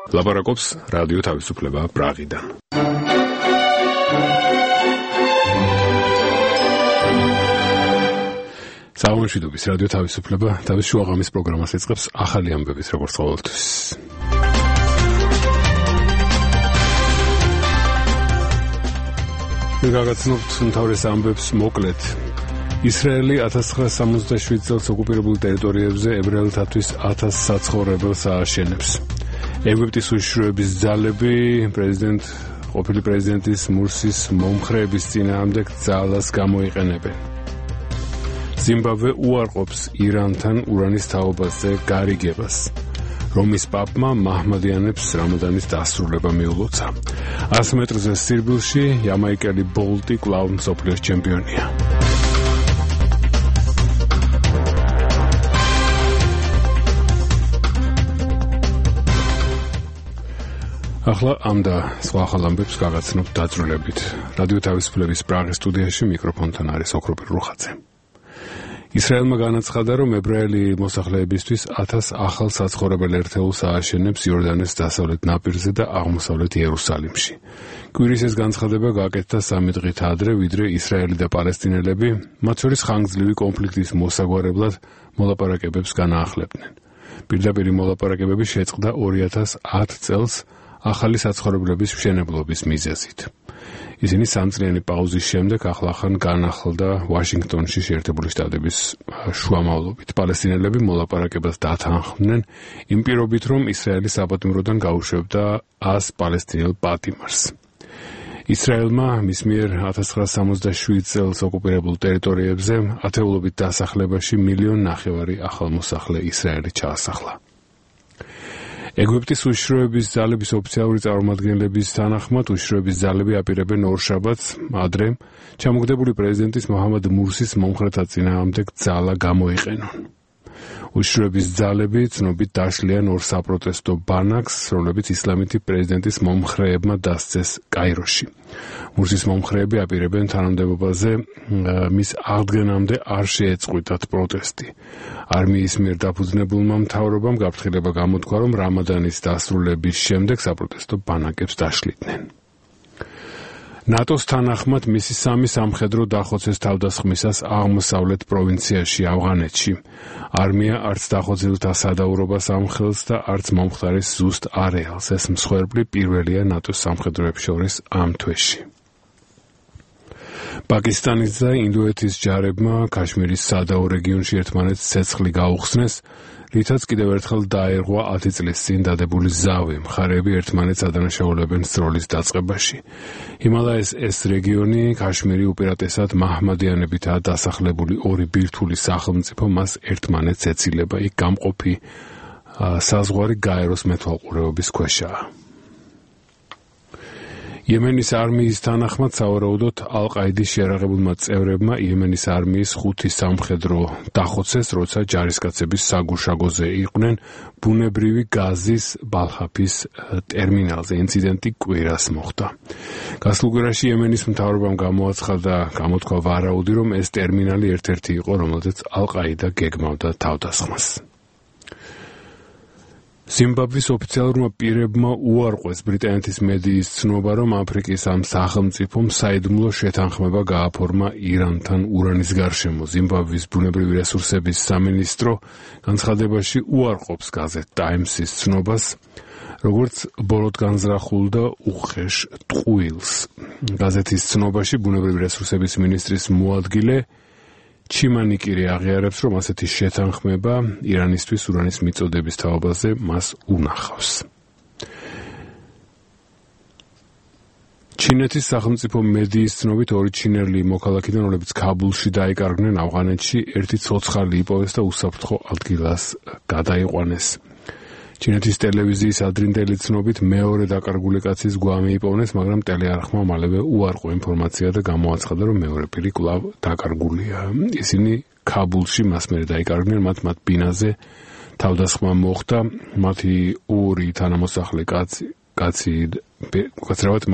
ლაპარაკობს რადიო თავისუფლება პრაღიდან. საუბრობთ რადიო თავისუფლება თავის შუაღამის პროგრამას ეწყებს ახალი ამბების როგორც ყოველთვის. მიგაგაცნობთ მთავრეს ამბებს მოკლედ. ისრაელი 1967 წელს ოკუპირებულ ტერიტორიებზე ებრაელთათვის 1000 საცხოვრებელს ააშენებს. ეგვიპტის უშიშროების ძალები ყოფილი პრეზიდენტის მურსის მომხრეების წინააღმდეგ ძალას გამოიყენებენ. ზიმბაბვე უარყოფს ირანთან ურანის თაობაზე გარიგებას. რომის პაპმა მაჰმადიანებს რამადანის დასრულება მიულოცა. 100 მეტრზე სირბილში იამაიკელი ბოლტი კვლავ მსოფლიოს ჩემპიონია. ახლა ამ და სხვა ახალ ამბებს გაგაცნობთ დაწვრილებით. რადიო თავისუფლების პრაღის სტუდიაში მიკროფონთან არის ოქროპირ რუხაძე. ისრაელმა განაცხადა, რომ ებრაელი მოსახლეებისთვის 1000 ახალ საცხოვრებელ ერთეულს ააშენებს იორდანეს დასავლეთ ნაპირზე და აღმოსავლეთ იერუსალიმში. კვირის ეს განცხადება გააკეთა 3 დღით ადრე, ვიდრე ისრაელი და პალესტინელები მათ შორის ხანგრძლივი კონფლიქტის მოსაგვარებლად მოლაპარაკებებს განაახლებდნენ. პირდაპირი მოლაპარაკებები შეწყდა 2010 წელს ახალი საცხოვრებლების მშენებლობის მიზეზით. ისინი 3 წლიანი პაუზის შემდეგ ახლახან განახლდა ვაშინგტონში შეერთებული შტატების შუამავლობით. პალესტინელები მოლაპარაკებას დათანხმდნენ იმ პირობით, რომ ისრაელი საპატიმროდან გაუშვებდა 100 პალესტინელ პატიმარს. ისრაელმა მის მიერ 1967 წელს ოკუპირებულ ტერიტორიებზე ათეულობით დასახლებაში 1,5 მილიონი ახალმოსახლე ისრაელი ჩაასახლა. ეგვიპტის უშიშროების ძალების ოფიციალური წარმომადგენლების თანახმად უშიშროების ძალები აპირებენ ორშაბათს ადრე ჩამოგდებული პრეზიდენტის მოჰამედ მურსის მომხრეთა წინააღმდეგ ძალა გამოიყენონ. უშიშროების ძალები ცნობით დაშლიან 2 საპროტესტო ბანაკს, რომლებიც ისლამითი პრეზიდენტის მომხრეებმა დასცეს კაიროში. მურსის მომხრეები აპირებენ თანამდებობაზე მის აღდგენამდე არ შეეწყვიტათ პროტესტი. არმიის მიერ დაფუძნებულმა მთავრობამ გაფრთხილება გამოთქვა, რომ რამადანის დასრულების შემდეგ საპროტესტო ბანაკებს დაშლიდნენ. ნატოს თანახმად მისი 3 სამხედრო დახოცეს თავდასხმისას აღმოსავლეთ პროვინციაში ავღანეთში. არმია არც დახოცილთა სადაურობას ამხელს და არც მომხდარის ზუსტ არეალს. ეს მსხვერპლი პირველია ნატოს სამხედროებს შორის ამ თვეში. პაკისტანის და ინდოეთის ჯარებმა ქაშმირის სადაო რეგიონში ერთმანეთს ცეცხლი გაუხსნეს, რითაც კიდევ ერთხელ დაერღვა 10 წლის წინ დადებული ზავი. მხარეები ერთმანეთს ადანაშაულებენ სროლის დაწყებაში. ჰიმალაის ეს რეგიონი, ქაშმირი უპირატესად მაჰმადიანებითაა დასახლებული 2 ბირთვული სახელმწიფო მას ერთმანეთს ეცილება. იქ გამყოფი საზღვარი გაეროს მეთვალყურეობის ქვეშაა. იემენის არმიის თანახმად სავარაუდოდ ალ-ყაიდის შეიარაღებულმა წევრებმა იემენის არმიის 5 სამხედრო დახოცეს, როცა ჯარისკაცების საგუშაგოზე იყვნენ ბუნებრივი გაზის ბალხაფის ტერმინალზე. ინციდენტი კვირას მოხდა. გასულ კვირაში იემენის მთავრობამ გამოთქვა ვარაუდი, რომ ეს ტერმინალი ერთ-ერთი იყო, რომელზეც ალ-ყაიდა გეგმავდა თავდასხმას. ზიმბაბვის ოფიციალურმა პირებმა უარყვეს ბრიტანეთის მედიის ცნობა, რომ აფრიკის ამ სახელმწიფომ საიდუმლო შეთანხმება გააფორმა ირანთან ურანის გარშემო. ზიმბაბვის ბუნებრივი რესურსების სამინისტრო განცხადებაში უარყოფს გაზეთ ტაიმსის ცნობას, როგორც ბოლოდ განზრახულ და უხეშ ტყუილს. გაზეთის ცნობაში ბუნებრივი რესურსების მინისტრის მოადგილე ჩიმანიკირი აღიარებს, რომ ასეთი შეთანხმება ირანისთვის ურანის მიწოდების თაობაზე მას უნახავს. ჩინეთის სახელმწიფო მედიის ცნობით 2 ჩინელი მოქალაქიდან, რომლებიც ქაბულში დაიკარგნენ ავღანეთში, ერთი ცოცხალი იპოვეს და უსაფრთხო ადგილას გადაიყვანეს. ჩინეთის ტელევიზიის ადრინდელი ცნობით მეორე დაკარგული კაცის გვამი იპოვნეს, მაგრამ ტელეარხმა მალევე უარყო ინფორმაცია და გამოაცხადა, რომ მეორე პირი კვლავ დაკარგულია. ისინი ქაბულში მას მერე დაიკარგნენ, მათ ბინაზე თავდასხმა მოხდა, მათი 2 თანამოსახლე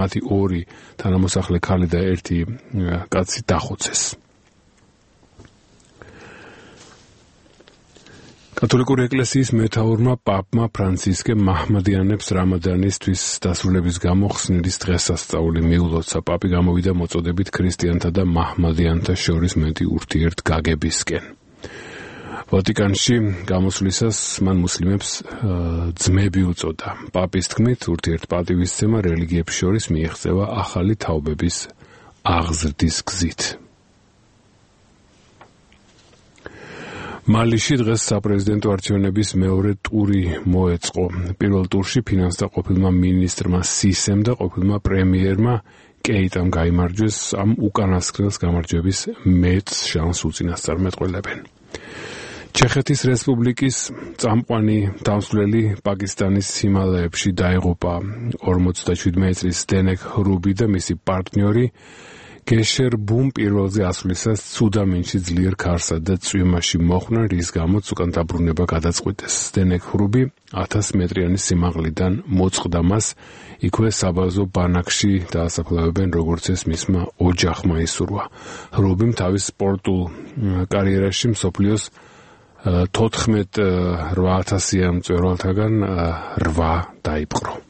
მათი 2 თანამოსახლე ქალი და 1 კაცი დახოცეს. კათოლიკური ეკლესიის მეთაურმა პაპმა ფრანცისკე მაჰმადიანებს რამადანისთვის დასრულების გამო ხსნილის დღესასწაული მიულოცა. პაპი გამოვიდა მოწოდებით ქრისტიანთა და მაჰმადიანთა შორის მეტი ურთიერთგაგებისკენ. ვატიკანში გამოსვლისას მან მუსლიმებს ძმები უწოდა. პაპის თქმით, ურთიერთპატივისცემა რელიგიებს შორის მიიღწევა ახალი თაობების აღზრდის გზით. მალიში დღეს საპრეზიდენტო არჩევნების მეორე ტური მოეწყო. პირველ ტურში ფინანსთა ყოფილმა მინისტრმა სისემ და ყოფილმა პრემიერმა კეიტამ გაიმარჯვეს. ამ უკანასკნელს გამარჯვების მეტს შანსს უწინასწარმეტყველებენ. ჩეხეთის რესპუბლიკის წამყვანი დამსვლელი პაკისტანის ჰიმალაებში დაიღუპა. 47 წლის დენეკ ხრუბი და მისი პარტნიორი გეშერბუმ პირველზე ასვლისას ცუდამინში ძლიერ ქარსა და წვიმაში მოხვნა, რის გამოც უკან დაბრუნება გადაწყვიტეს. დენეკ ხრუბი 1000 მეტრიანი სიმაღლიდან მოწყდა მას, იქვე საბაზო ბანაკში დაასაფლავებენ, როგორც ეს მისმა ოჯახმა ისურვა. ხრუბიმ თავის სპორტულ კარიერაში მსოფლიოს 14,8000 მწვერვალთაგან 8 დაიპყრო.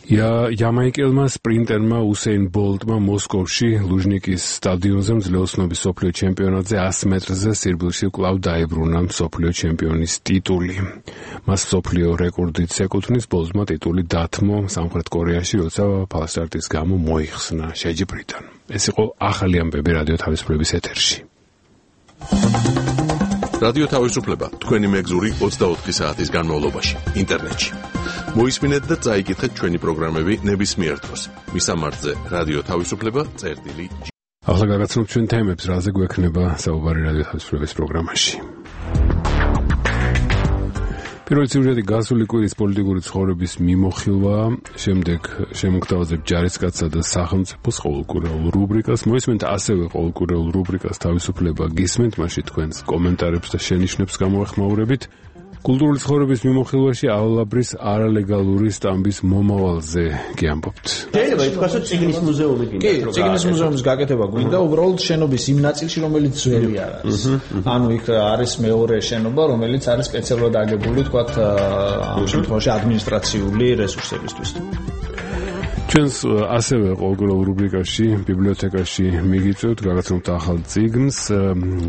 იამაიკელმა სპრინტერმა უსეინ ბოლტმა მოსკოვში ლუჟნიკის სტადიონზე მძლეოსნობის მსოფლიო ჩემპიონატზე 100 მეტრზე სირბილში კვლავ დაებრუნა მსოფლიო ჩემპიონის ტიტული. მას მსოფლიო რეკორდით ეკუთვნის, ბოლტმა ტიტული დათმო სამხრეთ კორეაში, როცა ფალსტარტის გამო მოიხსნა შეჯიბრიდან. ეს იყო ახალი ამბები რადიო თავისუფლების ეთერში. რადიო თავისუფლება თქვენი მეგზური 24 საათის განმავლობაში ინტერნეტში. მოისმინეთ და წაიკითხეთ ჩვენი პროგრამები ნებისმიერ დროს. მისამართზე რადიო თავისუფლება წერტილი. ახლა გაგაცნობთ ჩვენ თემებს, რაზე გვექნება საუბარი რადიო თავისუფლების პროგრამაში. პირველი სიუჟეტი გასული კვირის პოლიტიკური ცხოვრების მიმოხილვაა, შემდეგ შემოგთავაზებ ჯარისკაცსა და სახელმწიფოს ყოველკვირეულ რუბრიკას. მოისმენთ ასევე ყოველკვირეულ რუბრიკას თავისუფლება გისმენთ, მაშინ თქვენს კომენტარებს და შენიშვნებს გამოეხმაურებით. კულტურული ცხოვრების მიმოხილვაში ავალაბრის არალეგალური სტამბის მომავალზე გიამბობთ. შეიძლება ითქვას, რომ წიგნის მუზეუმი გინდა. კი, წიგნის მუზეუმის გაკეთება გვინდა, უბრალოდ შენობის იმ ნაწილში, რომელიც ძველი არ არის. ანუ იქ არის მეორე შენობა, რომელიც არის სპეციალურად აგებული, თქვათ, ამ შემთხვევაში ადმინისტრაციული რესურსებისთვის. ჩვენს ასევე ყოველკვირეულ რუბრიკაში ბიბლიოთეკაში მიგიწევთ, გაგაცნობთ ახალ წიგნს,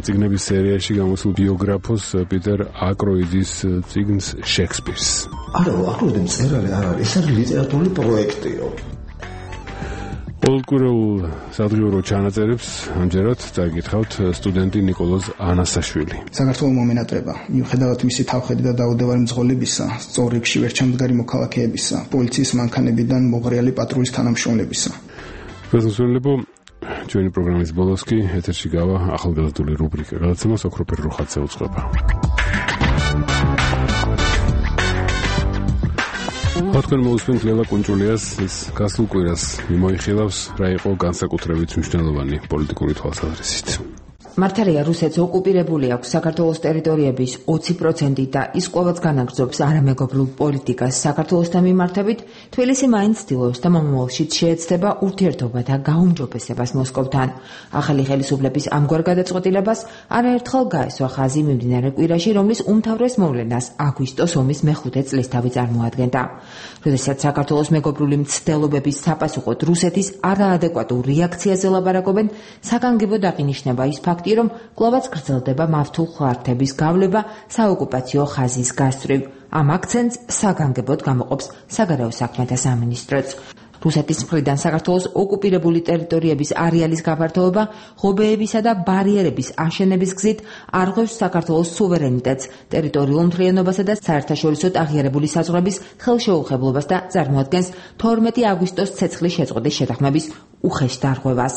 წიგნების სერიაში გამოსულ ბიოგრაფოს პიტერ აკროიდის წიგნს შექსპირს. არა, აკროიდი მწერალი არ არის, ეს არის ლიტერატურული პროექტიო. ყოველკვირეულ სადღიურო ჩანაწერებს ამჯერად წაიკითხავთ სტუდენტი ნიკოლოზ ანასაშვილი. საქართველოს მომენატრება, მიუხედავად მისი თავხედი და დაუდევარი მძღოლებისა, სწორებში ვერჩამდგარი მოქალაქეებისა, პოლიციის მანქანებიდან მოღრიალი პატრულის თანამშრომლებისა. გასასვლელებო, ჩვენი პროგრამის ბოლოს კი ეთერში გავა ახალგაზრდული რუბრიკა, გადაცემას ოქროპერ რუხაძე უწყება. თქვენ მოусმენთ ლელა კუნჭულიას, ის გასულ კვირას მიმოიხილავს, რა იყო განსაკუთრებით მნიშვნელოვანი პოლიტიკური თვალსაზრისით. მართალია, რუსეთს ოკუპირებული აქვს საქართველოს ტერიტორიების 20% და ის ყოველს განაგრძობს არამეგობრულ პოლიტიკას საქართველოსთან მიმართებით, თბილისი მაინც ცდილობს და მომავალშიც შეეცდება ურთიერთობა და გაუმჯობესებას მოსკოვთან. ახალი ხელისუფლების ამგვარ გადაწყვეტილებას არაერთხელ გაესვა ხაზი მიმდინარე კვირაში, რომლის უმთავრეს მოვლენას აგვისტოს ომის მეხუთე წლისთავი წარმოადგენდა. როდესაც საქართველოს მეგობრული მცდელობების საპასუხოდ რუსეთის არაადეკვატურ რეაქციაზე ლაპარაკობენ, საგანგებოდ აღინიშნება ის ფაქტი, რომ კვლავაც გრძელდება მავთულ ხარჯების გავლება საოკუპაციო ხაზის გასწვრივ. ამ აქცენტს საგანგებოდ გამოყოფს საგარეო საქმეთა სამინისტროც. რუსეთის მხრიდან საქართველოს ოკუპირებული ტერიტორიების არეალის გაფართოება, ღობეებისა და ბარიერების აშენების გზით არღვევს საქართველოს სუვერენიტეტს, ტერიტორიულ მთლიანობასა და საერთაშორისოდ აღიარებული საზღვრების ხელშეუხებლობას და წარმოადგენს 12 აგვისტოს ცეცხლის შეწყვეტის შეთანხმების უხეშ დარღვევას.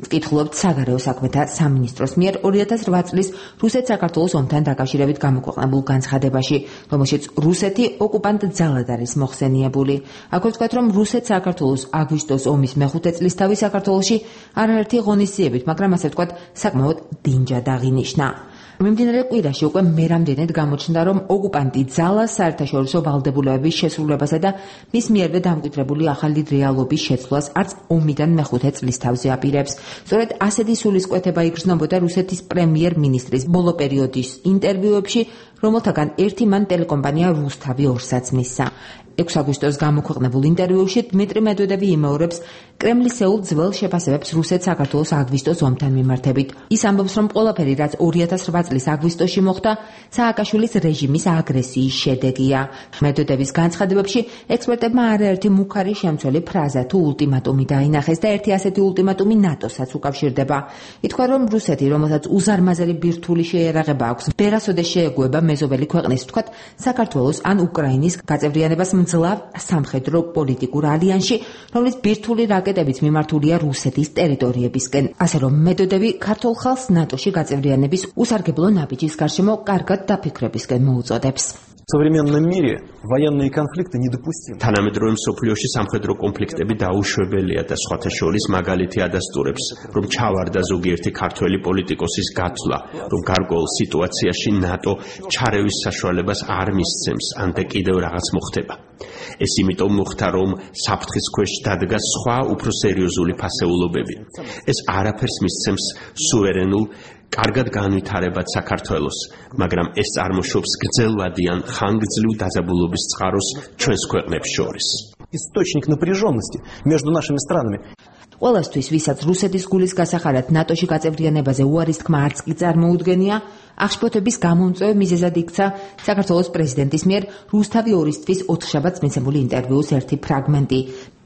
ვკითხულობთ საგარეო საქმეთა სამინისტროს მიერ 2008 წლის რუსეთ-საქართველოს ომთან დაკავშირებით გამოქვეყნებულ განცხადებაში, რომელშიც რუსეთი ოკუპანტ ძალად არის მოხსენიებული. აქვე ვთქვათ, რომ რუსეთ-საქართველოს აგვისტოს ომის მეხუთე წლისთავი საქართველოში არაერთი ღონისძიებით, მაგრამ ასე ვთქვათ, საკმაოდ დინჯად აღინიშნა. მიმდინარე კვირაში უკვე მერამდენედ გამოჩნდა, რომ ოკუპანტი ძალა საერთაშორისო ვალდებულებების შესრულებასა და მის მიერვე დამკვიდრებული ახალი რეალობის შეცვლას არც ომიდან მეხუთე წლის თავზე აპირებს. სწორედ ასეთი სულისკვეთება იგრძნობოდა რუსეთის პრემიერ-მინისტრის ბოლო პერიოდის ინტერვიუებში, რომელთაგან ერთი მან ტელეკომპანია რუსთავი 2-საც მისცა. 6 აგვისტოს გამოქვეყნებულ ინტერვიუში დმიტრი მედვედევი იმეორებს კრემლის ეულ ძველ შეფასებებს რუსეთ-საქართველოს აგვისტოს ომთან მიმართებით. ის ამბობს, რომ ყველაფერი, რაც 2008 წლის აგვისტოში მოხდა, სააკაშვილის რეჟიმის აგრესიის შედეგია. მედვედევის განცხადებებში ექსპერტებმა არაერთი მუქარი შემცველი ფრაზა თუ ულტიმატუმი დაინახეს და ერთი ასეთი ულტიმატუმი ნატოსაც უკავშირდება. ითქვა, რომ რუსეთი, რომელსაც უზარმაზარი ბირთვული შეერაღება აქვს, ვერასოდეს შეეგუება მეზობელი ქვეყნის, ვთქვათ, საქართველოს ან უკრაინის გაწევრიანებას მძლავ სამხედრო პოლიტიკურ ალიანსში, რომლის ბირთვული რაკეტებიც მიმართულია რუსეთის ტერიტორიებისკენ. ასე რომ მედვედევი ქართულ ხალხს ნატოში გაწევრიანების უსარგებლო ნაბიჯის გარშემო კარგად დაფიქრებისკენ მოუწოდებს. В современном мире военные конфликты недопустимы. თანამედროვე მსოფლიოში სამხედრო კონფლიქტები დაუშვებელია და სხვათა შორის მაგალითი ადასტურებს, რომ ჩავარდა ზოგიერთი ქართველი პოლიტიკოსის გათვლა, რომ გარკვეულ სიტუაციაში ნატო ჩარევის საშუალებას არ მისცემს, ან და კიდევ რაღაც მოხდება. ეს იმიტომ მოხდა, რომ საფრთხის ქვეშ დადგა სხვა უფრო სერიოზული ფასეულობები. ეს არაფერს მისცემს სუვერენულ კარგად განვითარებად საქართველოს, მაგრამ ეს წარმოშობს გრძელვადიან ხანგრძლივ დაძაბულობის წყაროს ჩვენს ქვეყნებს შორის. Источник напряженности между нашими странами. ყველასთვის, ვისაც რუსეთის გულის გასახარად ნატოში გაწევრიანებაზე უარის თქმა არც კი წარმოუდგენია, აღშფოთების გამომწვევ მიზეზად იქცა საქართველოს პრეზიდენტის მიერ რუსთავი 2-ისთვის 4 მიცემული ინტერვიუს ერთი ფრაგმენტი.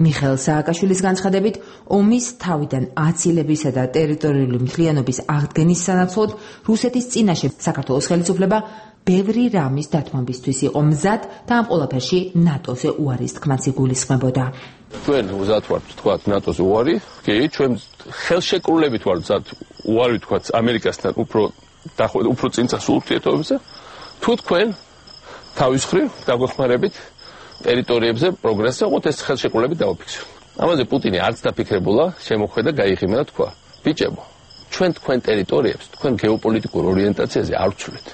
მიხეილ სააკაშვილის განცხადებით, ომის თავიდან აცილებისა და ტერიტორიული მთლიანობის აღდგენის სანაცვლოდ რუსეთის წინაშე საქართველოს ხელისუფლება ბევრი რამის დათმობისთვის იყო მზად და ამ ყველაფერში ნატოზე უარის თქმაც იგულისხმებოდა. ჩვენ მზად ვართ თქვათ ნატოზე უარი, კი, ჩვენ ხელშეკრულებით ვართ მზად უარი თქვათ ამერიკასთან უფრო წინწასულ ურთიერთობებზე, თუ თქვენ თავის მხრივ დაგვეხმარებით ტერიტორიებზე პროგრესს აყოთ, ეს ხელშეკრულებით დავაფიქსიროთ. ამაზე პუტინი არც დაფიქრებულა, შემოხვედა გაიღიმა და თქვა: ბიჭებო, ჩვენ თქვენ ტერიტორიებს, თქვენ გეოპოლიტიკურ ორიენტაციაზე არ ვცვლით.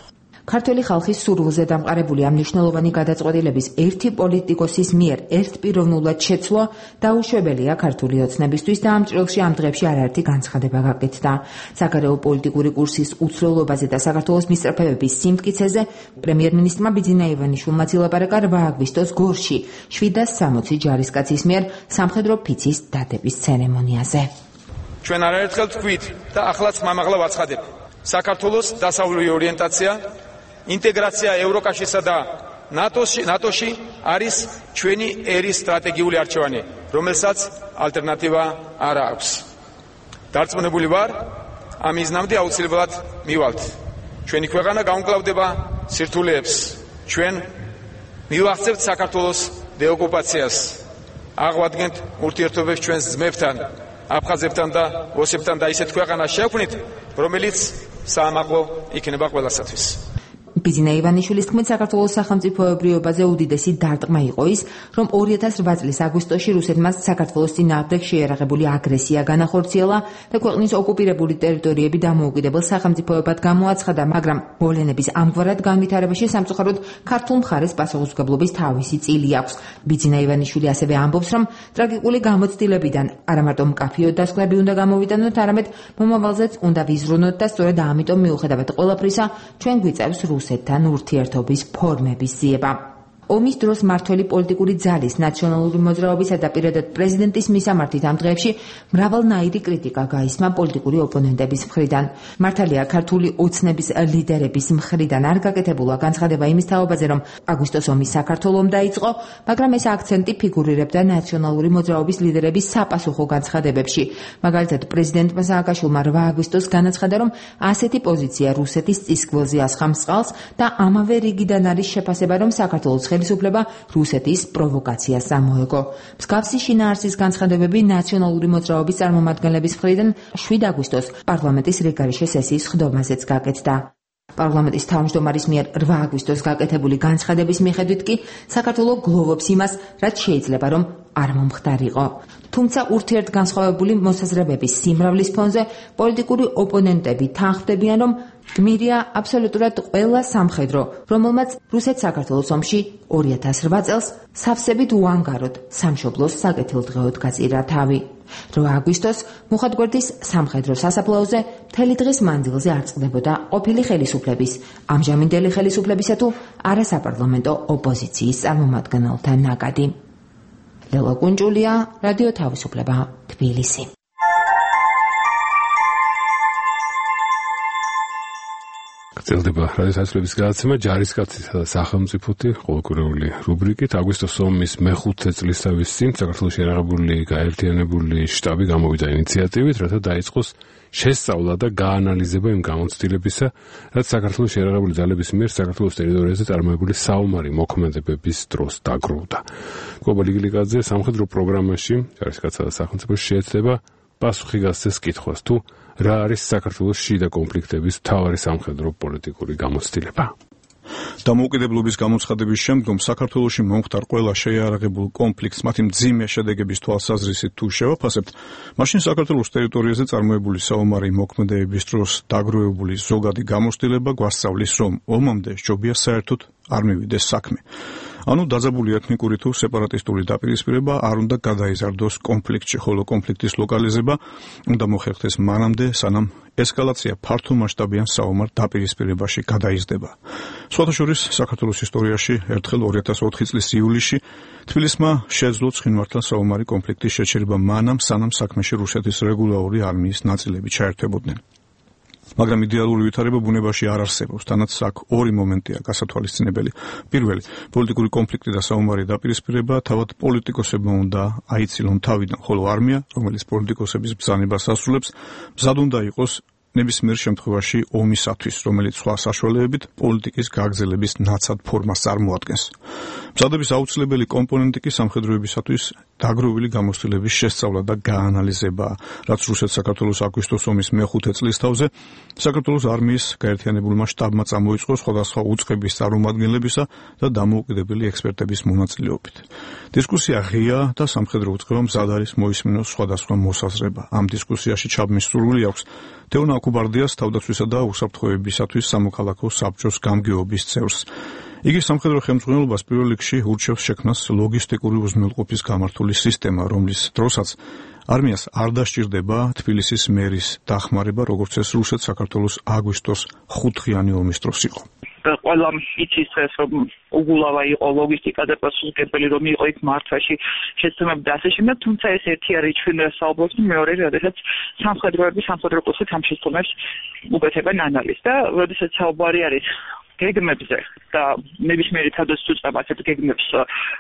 ქართველი ხალხის სურვილზე დამყარებული ამ მნიშვნელოვანი გადაწყვეტილების ერთი პოლიტიკოსის მიერ ერთპიროვნულად შეცვლა დაუშვებელია ქართული ოცნებისთვის და ამ ჭრილში ამ დღეებში არაერთი განცხადება გაკეთდა. საგარეო პოლიტიკური კურსის უცვლელობაზე და საქართველოს მისწრაფებების სიმტკიცეზე პრემიერ-მინისტრმა ბიძინა ივანიშვილმა ილაპარაკა 8 აგვისტოს გორში 760 ჯარისკაცის მიერ სამხედრო ფიცის დადების ცერემონიაზე. ჩვენ არაერთხელ თქვით და ახლაც მამაღლა ვაცხადებ. საქართველოს დასავლური ორიენტაცია, ინტეგრაცია ევროკავშირსა და ნატოში არის ჩვენი ერის სტრატეგიული არჩევანი, რომელსაც ალტერნატივა არ აქვს. დარწმუნებული ვარ, ამ მიზნამდე აუცილებლად მივალთ. ჩვენი ქვეყანა გაუმკლავდება სირთულეებს. ჩვენ მივახცევთ საქართველოს დეოკუპაციას. აღვადგენთ ურთიერთობებს ჩვენს ძმებთან, აფხაზებთან და ოსებთან და ისეთ ქვეყანას შევქმნით, რომელიც საამაყო იქნება ყველასათვის. ბიძინა ივანიშვილის თქმით, საქართველოს სახელმწიფოებრიობაზე უდიდესი დარტყმა იყო ის, რომ 2008 წლის აგვისტოში რუსეთმა საქართველოს წინააღმდეგ შეერაღებული აგრესია განახორციელა და ქვეყნის ოკუპირებული ტერიტორიები დამოუკიდებელ სახელმწიფოებად გამოაცხადა, მაგრამ მოვლენების ამგვარად განვითარებაში სამწუხაროდ ქართულ მხარეს პასუხისმგებლობის თავისი წილი აქვს. ბიძინა ივანიშვილი ასევე ამბობს, რომ ტრაგიკული გამოცდილებიდან არა მარტო მკაფიო დასკვნები უნდა გამოვიტანოთ, არამედ მომავალზეც უნდა ვიზრუნოთ და სწორედ ამიტომ მიუხედავად ყველაფრისა, ჩვენ გვიწევს რუსეთთან ურთიერთობის ფორმების ძიება. ომის დროს მართველი პოლიტიკური ძალის, ნაციონალური მოძრაობისა და პირადად პრეზიდენტის მისამართით ამ დღეებში მრავალნაირი კრიტიკა გაისმა პოლიტიკური ოპონენტების მხრიდან. მართალია, ქართული ოცნების ლიდერების მხრიდან არ გაკეთებულა განცხადება იმის თაობაზე, რომ აგვისტოს ომი საქართველომ დაიწყო, მაგრამ ეს აქცენტი ფიგურირებდა ნაციონალური მოძრაობის ლიდერების sapasukho განცხადებებში. მაგალითად, პრეზიდენტმა სააკაშვილმა 8 აგვისტოს განაცხადა, რომ ასეთი პოზიცია რუსეთის წისქვილზე ასხამს წყალს და ამავე რიგიდან არის შეფასება, რომ საქართველოს ხელისუფლება რუსეთის პროვოკაციას ამოეგო. მსგავსი შინაარსის განცხადებები ნაციონალური მოძრაობის წარმომადგენლების მხრიდან 7 აგვისტოს პარლამენტის რეგარიშე სესიის ხდომაზეც გაკეთდა. პარლამენტის თავმჯდომარის მიერ 8 აგვისტოს გაკეთებული განცხადების მიხედვით კი საქართველო გლოვობს იმას, რაც შეიძლება რომ არ მომხდარიყო. თუმცა ურთიერთგანსხვავებული მოსაზრებების სიმრავლის ფონზე პოლიტიკური ოპონენტები თანხმდებიან, რომ გმირია აბსოლუტურად ყველა სამხედრო, რომელმაც რუსეთ-საქართველოს ომში 2008 წელს სავსებით უანგაროდ სამშობლოს საკეთილდღეოდ გაწირა თავი. 8 აგვისტოს მუხათგვერდის სამხედრო სასაფლაოზე მთელი დღის მანძილზე არ წყდებოდა ყოფილი ხელისუფლების, ამჟამინდელი ხელისუფლებისა თუ არასაპარლამენტო ოპოზიციის წარმომადგენელთა ნაკადი. ლელა კუნჭულია, რადიო თავისუფლება, თბილისი. გრძელდება რადიო თავისუფლების გადაცემა ჯარისკაცისა და სახელმწიფოთი ყოველკვირეული რუბრიკით. აგვისტოს ომის მე-5 წლისთავის წინ საქართველოში შეიარაღებული გაერთიანებული შტაბი გამოვიდა ინიციატივით, რათა დაიწყოს შესწავლა და გაანალიზება იმ გამოცდილებისა, რაც საქართველოს შეიარაღებული ძალების მიერ საქართველოს ტერიტორიაზე წარმოებული საომარი მოქმედებების დროს დაგროვდა. გოგო ლიგილიკაძე სამხედრო პროგრამაში ჯარისკაცსა და სახელმწიფოში შეეცდება პასუხი გასცეს კითხვას, თუ რა არის საქართველოს შიდა კონფლიქტების მთავარი სამხედრო პოლიტიკური გამოცდილება. დამოუკიდებლობის გამოცხადების შემდგომ საქართველოში მომხდარ ყველა შეიარაღებულ კონფლიქტს მათი მძიმე შედეგების თვალსაზრისით თუ შევაფასებთ, მაშინ საქართველოს ტერიტორიაზე წარმოებული საომარი მოქმედებების დროს დაგროვებული ზოგადი გამოცდილება გვასწავლის, რომ ომამდე სჯობია საერთოდ არ მივიდეს საქმე. ანუ დაძაბული ეთნიკური თუ სეპარატისტული დაპირისპირება არ უნდა გადაიზარდოს კონფლიქტში, ხოლო კონფლიქტის ლოკალიზება უნდა მოხერხდეს მანამდე, სანამ ესკალაცია ფართომასშტაბიან საომარ დაპირისპირებაში გადაიზრდება. სხვათა შორის საქართველოს ისტორიაში ერთხელ 2004 წლის ივლისში თბილისმა შეძლო ცხინვალთან საომარი კონფლიქტის შეჩერება მანამ, სანამ საქმეში რუსეთის რეგულარული არმიის ნაწილები ჩაერთვებოდნენ. მაგრამ იდეალური ვითარება ბუნებაში არ არსებობს, თანაც აქ ორი მომენტია გასათვალისწინებელი. პირველი, პოლიტიკური კონფლიქტი და საომარი დაპირისპირება თავად პოლიტიკოსებმა უნდა აიცილონ თავიდან, ხოლო არმია, რომელიც პოლიტიკოსების ბრძანებას ასრულებს, მზად უნდა იყოს ნებისმიერ შემთხვევაში ომისათვის, რომელიც სხვა საშუალებებით პოლიტიკის გაგრძელების ნაცად ფორმას წარმოადგენს. მზადების აუცილებელი კომპონენტი კი სამხედროებისათვის დაგროვილი გამოცდილების შესწავლა და გაანალიზებაა, რაც რუსეთ-საქართველოს აგვისტოს ომის მე-5 წლისთავზე საქართველოს არმიის გაერთიანებულმა შტაბმა წამოიწყო სხვადასხვა უწყების წარმომადგენლებისა და დამოუკიდებელი ექსპერტების მონაწილეობით. დისკუსია ღია და სამხედრო უწყება მზად არის მოისმინოს სხვადასხვა მოსაზრება. ამ დისკუსიაში ჩაბმის სურვილი აქვს თეონა კუბარდიას თავდაცვისა და უსაფრთხოებისათვის სამოქალაქო საბჭოს გამგეობის წევრს. იგი სამხედრო ხელმძღვანელობას პირველ რიგში ურჩევს შექმნას ლოგისტიკური უზრუნველყოფის გამართული სისტემა, რომლის დროსაც არმიას არ დასჭირდება თბილისის მერის დახმარება, როგორც ეს რუსეთ-საქართველოს აგვისტოს 5-დღიანი ომის დროს იყო. ყველა იცის ეს რომ უგულავა იყო ლოგისტიკა და პასუხისმგებელი რომ იყო იქ მართვაში შეცდომები და ასე შემდეგ, თუმცა ეს ერთი არის ჩვენ საუბრობთ, მეორე როდესაც სამხედრო კურსით ამ შეცდომებს უკეთებენ ანალიზს და როდესაც საუბარი არის გეგმებზე და ნებისმიერი თავდაცვის უწყება ასეთ გეგმებს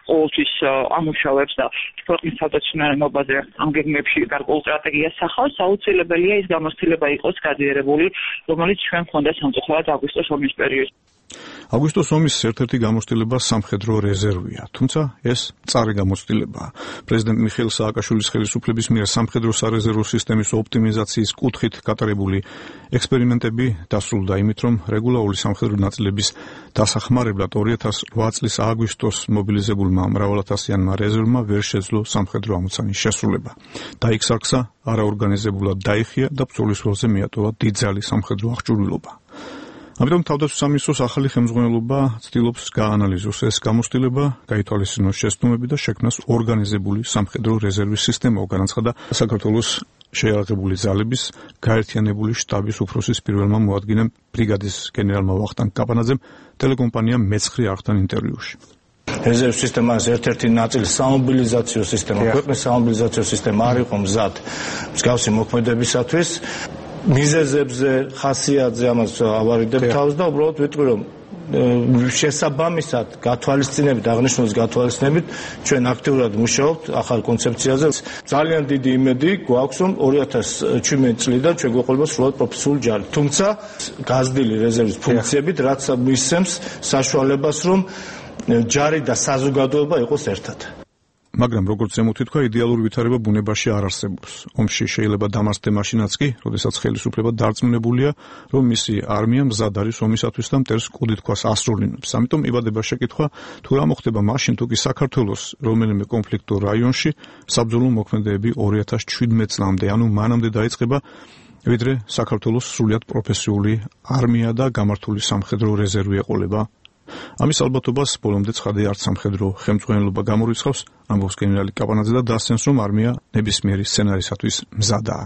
ყოველთვის ამუშავებს და ქვეყნის თავდაცვიანობაზე ამ გეგმებში გარკვეულ სტრატეგიას ახავს, აუცილებელია ის გამოცდილება იყოს გადიერებული, რომელიც ჩვენ გვქონდა სამწუხაროდ აგვისტოს ომის პერიოდში. აგვისტოს ომის ერთ-ერთი გამოცდილება სამხედრო რეზერვია, თუმცა ეს მწარე გამოცდილებაა. პრეზიდენტ მიხეილ სააკაშვილის ხელისუფლების მიერ სამხედრო სარეზერვო სისტემის ოპტიმიზაციის კუთხით გატარებული ექსპერიმენტები დასრულდა იმით, რომ რეგულარული სამხედრო ნაწილების დასახმარებლად 2008 წლის აგვისტოს მობილიზებულმა მრავალათასიანმა რეზერვმა ვერ შეძლო სამხედრო ამოცანის შესრულება. დაიქსარქსა, არაორგანიზებულად დაიხია და ბრძოლის ველზე მიატოვა დიდძალი სამხედრო აღჭურვილობა. ამიტომ თავდაცვის სამინისტროს ახალი ხელმძღვანელობა ცდილობს გაანალიზოს ეს გამოცდილება, გაითვალისწინოს შეცდომები და შექმნას ორგანიზებული სამხედრო რეზერვის სისტემა, განაცხადა საქართველოს შეიარაღებული ძალების გაერთიანებული შტაბის უფროსის პირველმა მოადგილემ ბრიგადის გენერალმა ვახტანგ კაპანაძემ ტელეკომპანია მეცხრე არხთან ინტერვიუში. რეზერვის სისტემას ერთ-ერთი ნაწილი სამობილიზაციო სისტემა, ქვეყნის სამობილიზაციო სისტემა არ იყო მზად მსგავსი მოქმედებისათვის. მიზეზებზე, ხასიათზე ამას ავარიდებ თავს და უბრალოდ ვიტყვი რომ შესაბამისად გათვალისწინებით, აღნიშნულს გათვალისწინებით ჩვენ აქტიურად მუშაობთ ახალ კონცეფციაზე. ძალიან დიდი იმედი გვაქვს რომ 2017 წლიდან ჩვენ გვეყოლება სრულად პროფესიული ჯარი. თუმცა გაზრდილი რეზერვის ფუნქციებით, რაც მისცემს საშუალებას რომ ჯარი და საზოგადოება იყოს ერთად. მაგრამ როგორც ზემოთ თქვა, იდეალური ვითარება ბუნებაში არ არსებობს. ომში შეიძლება დამარცხდე მაშინაც კი, როდესაც ხელისუფლება დარწმუნებულია, რომ მისი არმია მზად არის ომისათვის და მტერს კუდი თქვას ასრულინებს. ამიტომ იბადება შეკითხვა, თუ რა მოხდება მაშინ, თუ კი საქართველოს რომელიმე კონფლიქტურ რაიონში საბრძოლო მოქმედებები 2017 წლამდე, ანუ მანამდე დაიწყება ვიდრე საქართველოს სრულიად პროფესიული არმია და გამართული სამხედრო რეზერვი ეყოლება. ამის ალბათობას ბოლომდე ცხადე არც სამხედრო ხელმძღვანელობა გამორიცხავს, ამბობს გენერალი კაპანაძე და დასცენს, რომ არმია ნებისმიერი სცენარისათვის მზადაა.